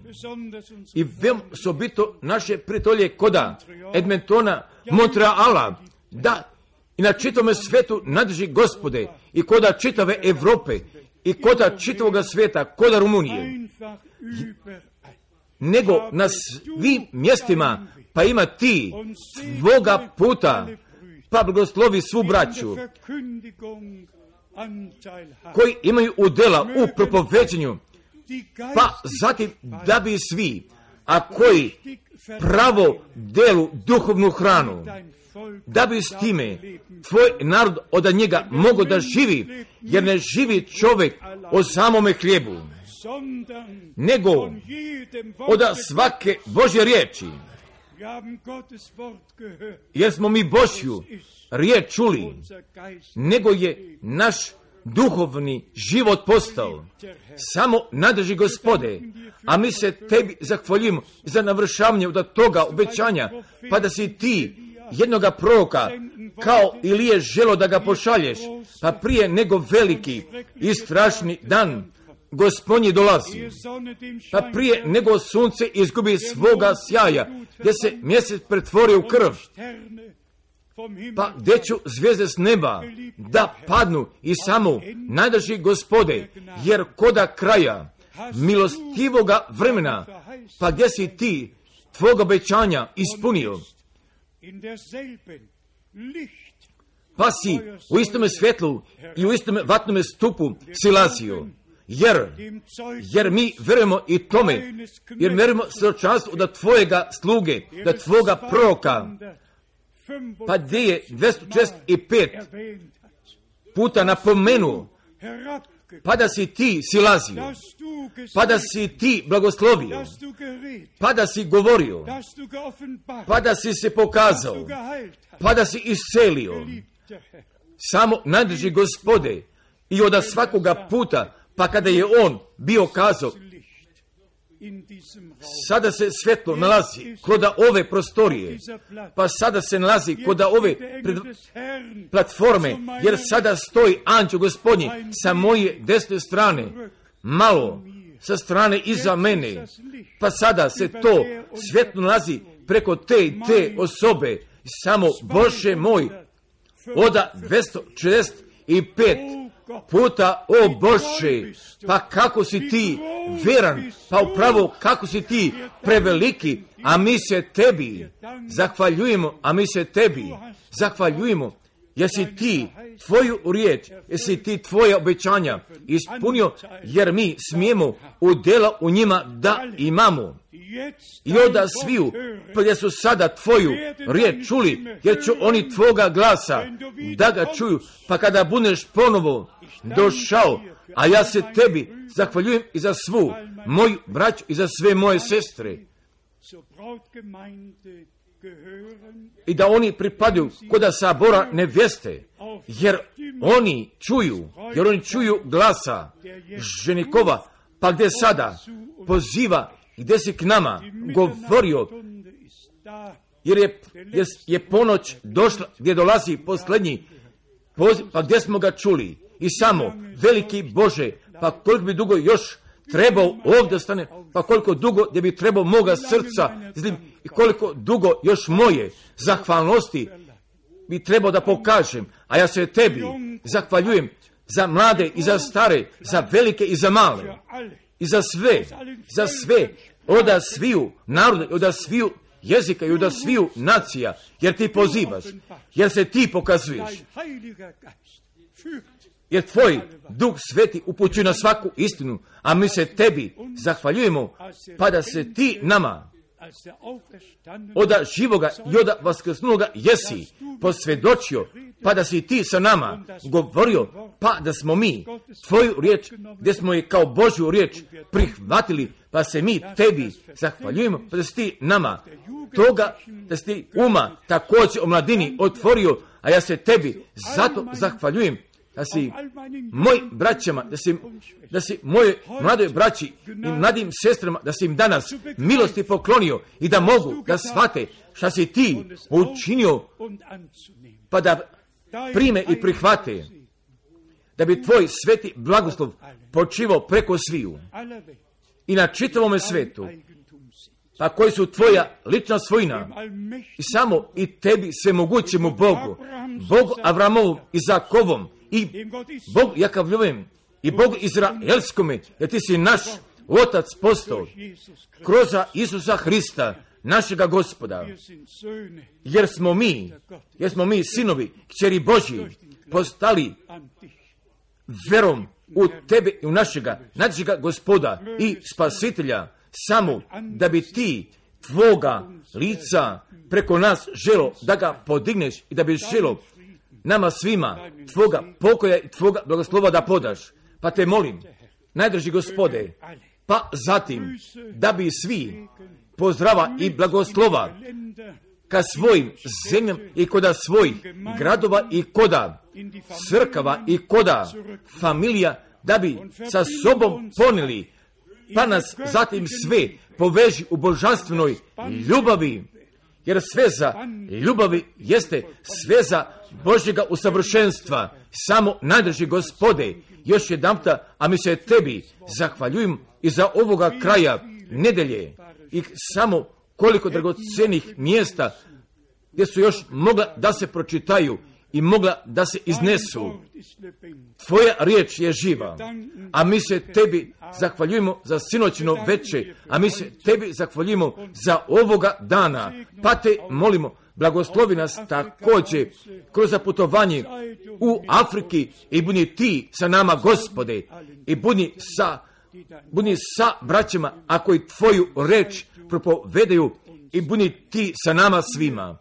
i veoma osobito naše prijatelje koda Edmontona, Montreala, da i na čitavome svetu nadrži Gospode i koda čitave Evrope i koda čitavoga svijeta, koda Rumunije, nego na svim mjestima, pa ima Ti Tvoga puta, pa blagoslovi svu braću koji imaju udjela u propoveđenju, pa zatim da bi svi, a koji pravo delu duhovnu hranu, da bi s time Tvoj narod od njega mogo da živi, jer ne živi čovjek o samome hlijebu, nego od svake Božje riječi. Jer smo mi Božju riječ čuli, nego je naš duhovni život postao. Samo nadrži Gospode, a mi se Tebi zahvaljujemo za navršavanje od toga obećanja, pa da si Ti jednoga proroka, kao Ilije želo da ga pošalješ, pa prije nego veliki i strašni dan Gospodnji dolazi, pa prije nego sunce izgubi svoga sjaja, gdje se mjesec pretvori u krv, pa gdje ću zvijezde s neba da padnu i samo najdrži Gospode, jer koda kraja milostivoga vremena, pa gdje si Ti Tvoga obećanja ispunio, pa si u istome svjetlu i u istome vatnome stupu silazio, jer mi vjerujemo i tome, jer vjerujemo svjedočanstvu da tvojega sluge, da tvoga proroka, pa gdje je 265 puta napomenuo, pa da si ti silazio, pa da si ti blagoslovio, pa da si govorio, pa da si se pokazao, pa da si iscelio. Samo najdrži Gospode, i od svakoga puta, pa kada je on bio kazao, sada se svjetlo nalazi kod ove prostorije, pa sada se nalazi kod ove platforme, jer sada stoji anđeo Gospodnji sa moje desne strane, malo sa strane iza mene, pa sada se to svjetlo nalazi preko te i te osobe. Samo Bože moj, od 265 puta, o Bože, pa kako si ti vjeran, pa upravo kako si ti preveliki, a mi se tebi zahvaljujemo, jer si ti tvoju riječ, jer si ti tvoje obećanja ispunio, jer mi smijemo udjela u njima da imamo. I onda sviju, pa gdje su sada tvoju riječ čuli, jer će oni tvoga glasa da ga čuju, pa kada budeš ponovo došao, a ja se tebi zahvaljujem i za svu moju braću i za sve moje sestre, i da oni pripadaju kod sabora nevjeste, jer oni čuju glasa ženikova, pa gdje sada poziva, gdje si k nama govorio, jer je ponoć došla, gdje dolazi posljednji poziv, pa gdje smo ga čuli. I samo, veliki Bože, pa koliko bi dugo još trebao ovdje stane, pa koliko dugo gdje bi trebao moga srca, i koliko dugo još moje zahvalnosti bi trebao da pokažem, a ja se tebi zahvaljujem za mlade i za stare, za velike i za male, i za sve, od sviju naroda, od sviju jezika i od sviju nacija, jer ti pozivaš, jer se ti pokazuješ, jer tvoj Duh Sveti upućuje na svaku istinu, a mi se tebi zahvaljujemo, pa da se ti nama od živoga i od vaskrsnuloga jesi posvjedočio, pa da si ti sa nama govorio, pa da smo mi tvoju riječ, gdje smo je kao Božju riječ prihvatili, pa se mi tebi zahvaljujemo, pa da si ti nama toga, da si ti uma također o mladini otvorio, a ja se tebi zato zahvaljujem, da si moj braćama, da si moje mladoj braći i mladim sestrama, da si im danas milosti poklonio i da mogu da shvate šta si ti učinio, pa da prime i prihvate, da bi tvoj sveti blagoslov počivao preko sviju i na čitavome svetu, pa koji su tvoja lična svojina, i samo i tebi svemogućemu Bogu Avramovom, Izakovom, i Bogu Jakavljovem, i Bogu Izraelskome, jer ti si naš Otac postao kroz Isusa Hrista, našega Gospoda, jer smo mi sinovi, kćeri Božji, postali verom u tebe i u našega Gospoda i Spasitelja, samo da bi ti tvoga lica preko nas želo da ga podigneš i da bi želo nama svima tvoga pokoja i tvoga blagoslova da podaš. Pa te molim, najdrži Gospode, pa zatim da bi svi pozdrava i blagoslova ka svojim zemljama i koda svojih gradova i koda crkava i koda familija, da bi sa sobom ponijeli, pa nas zatim sve poveži u božanstvenoj ljubavi, jer sveza ljubavi jeste sveza Božjega usavršenstva. Samo najdrži Gospode, još jedanputa, a mi se tebi zahvaljujem i za ovoga kraja nedelje, i samo koliko dragocenih mjesta gdje su još mogla da se pročitaju i mogla da se iznesu. Tvoja riječ je živa, a mi se tebi zahvaljujemo za sinoćno veče, a mi se tebi zahvaljujemo za ovoga dana, pa te molimo blagoslovi nas također kroz putovanje u Afriki i budi ti sa nama, Gospode, i budi sa braćama, ako i tvoju reč propovedaju, i budi ti sa nama svima.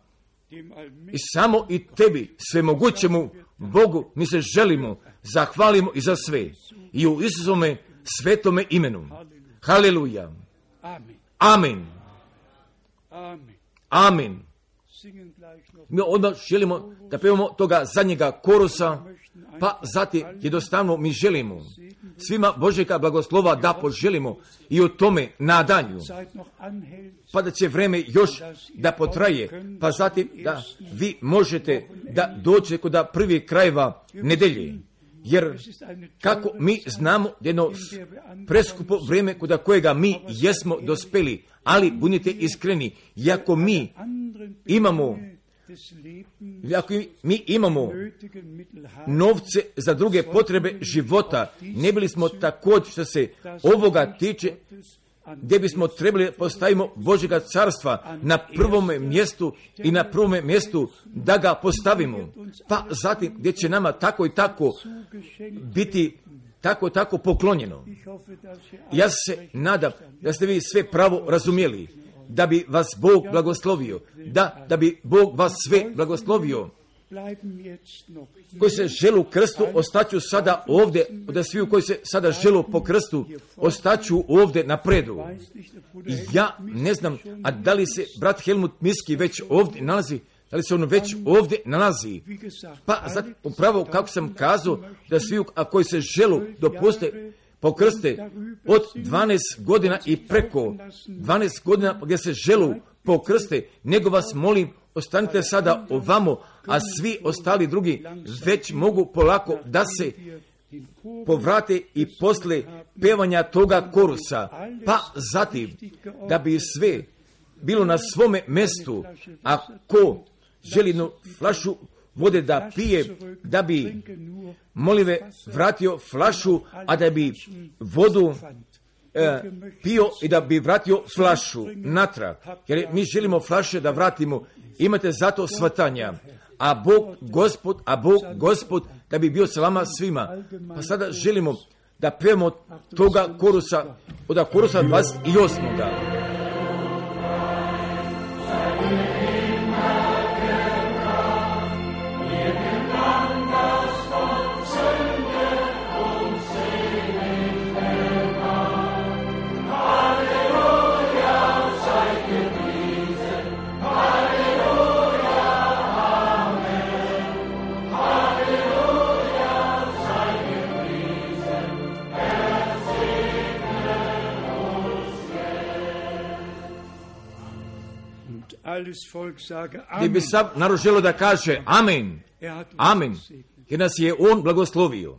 I samo i tebi, svemogućemu Bogu, mi se želimo, zahvalimo i za sve. I u Isusome svetome imenu. Haleluja. Amen. Amen. Mi odmah želimo da pevamo toga zadnjega korusa, pa zatim jednostavno mi želimo svima Božjega blagoslova da poželimo i u tome nadanju, pa da će vreme još da potraje, pa zatim da vi možete da dođete kod prvih krajeva nedelje. Jer kako mi znamo jedno preskupo vrijeme kod kojega mi jesmo dospeli, ali budite iskreni, ako mi imamo novce za druge potrebe života, ne bili smo također što se ovoga tiče, gdje bismo trebali postavimo Božjega carstva na prvome mjestu i na prvome mjestu da ga postavimo, pa zatim gdje će nama tako i tako biti tako poklonjeno. Ja se nadam da ste vi sve pravo razumjeli, da bi vas Bog blagoslovio, da bi Bog vas sve blagoslovio. Koji se želu krstu, ostaću sada ovdje, da svi koji se sada želu po krstu, ostaću ovdje napredu. Ja ne znam, a da li se brat Helmut Miski već ovdje nalazi, da li se on već ovdje nalazi. Pa zato upravo kako sam kazao, da svi koji se želu dopuste pokrste od 12 godina i preko 12 godina gdje se želu pokrste, nego vas molim, ostanite sada ovamo, a svi ostali drugi već mogu polako da se povrate i posle pevanja toga korusa, pa zatim da bi sve bilo na svome mjestu, a ko želi jednu flašu vode da pije, da bi molive vratio flašu, a da bi vodu pio i da bi vratio flašu natrag. Jer mi želimo flaše da vratimo, imate zato svatanja. A Bog Gospod da bi bio sa vama svima. Pa sada želimo da pevamo toga korusa, od korusa 28. Gdje bi sam narod želio da kaže amen, amen, jer nas je on blagoslovio.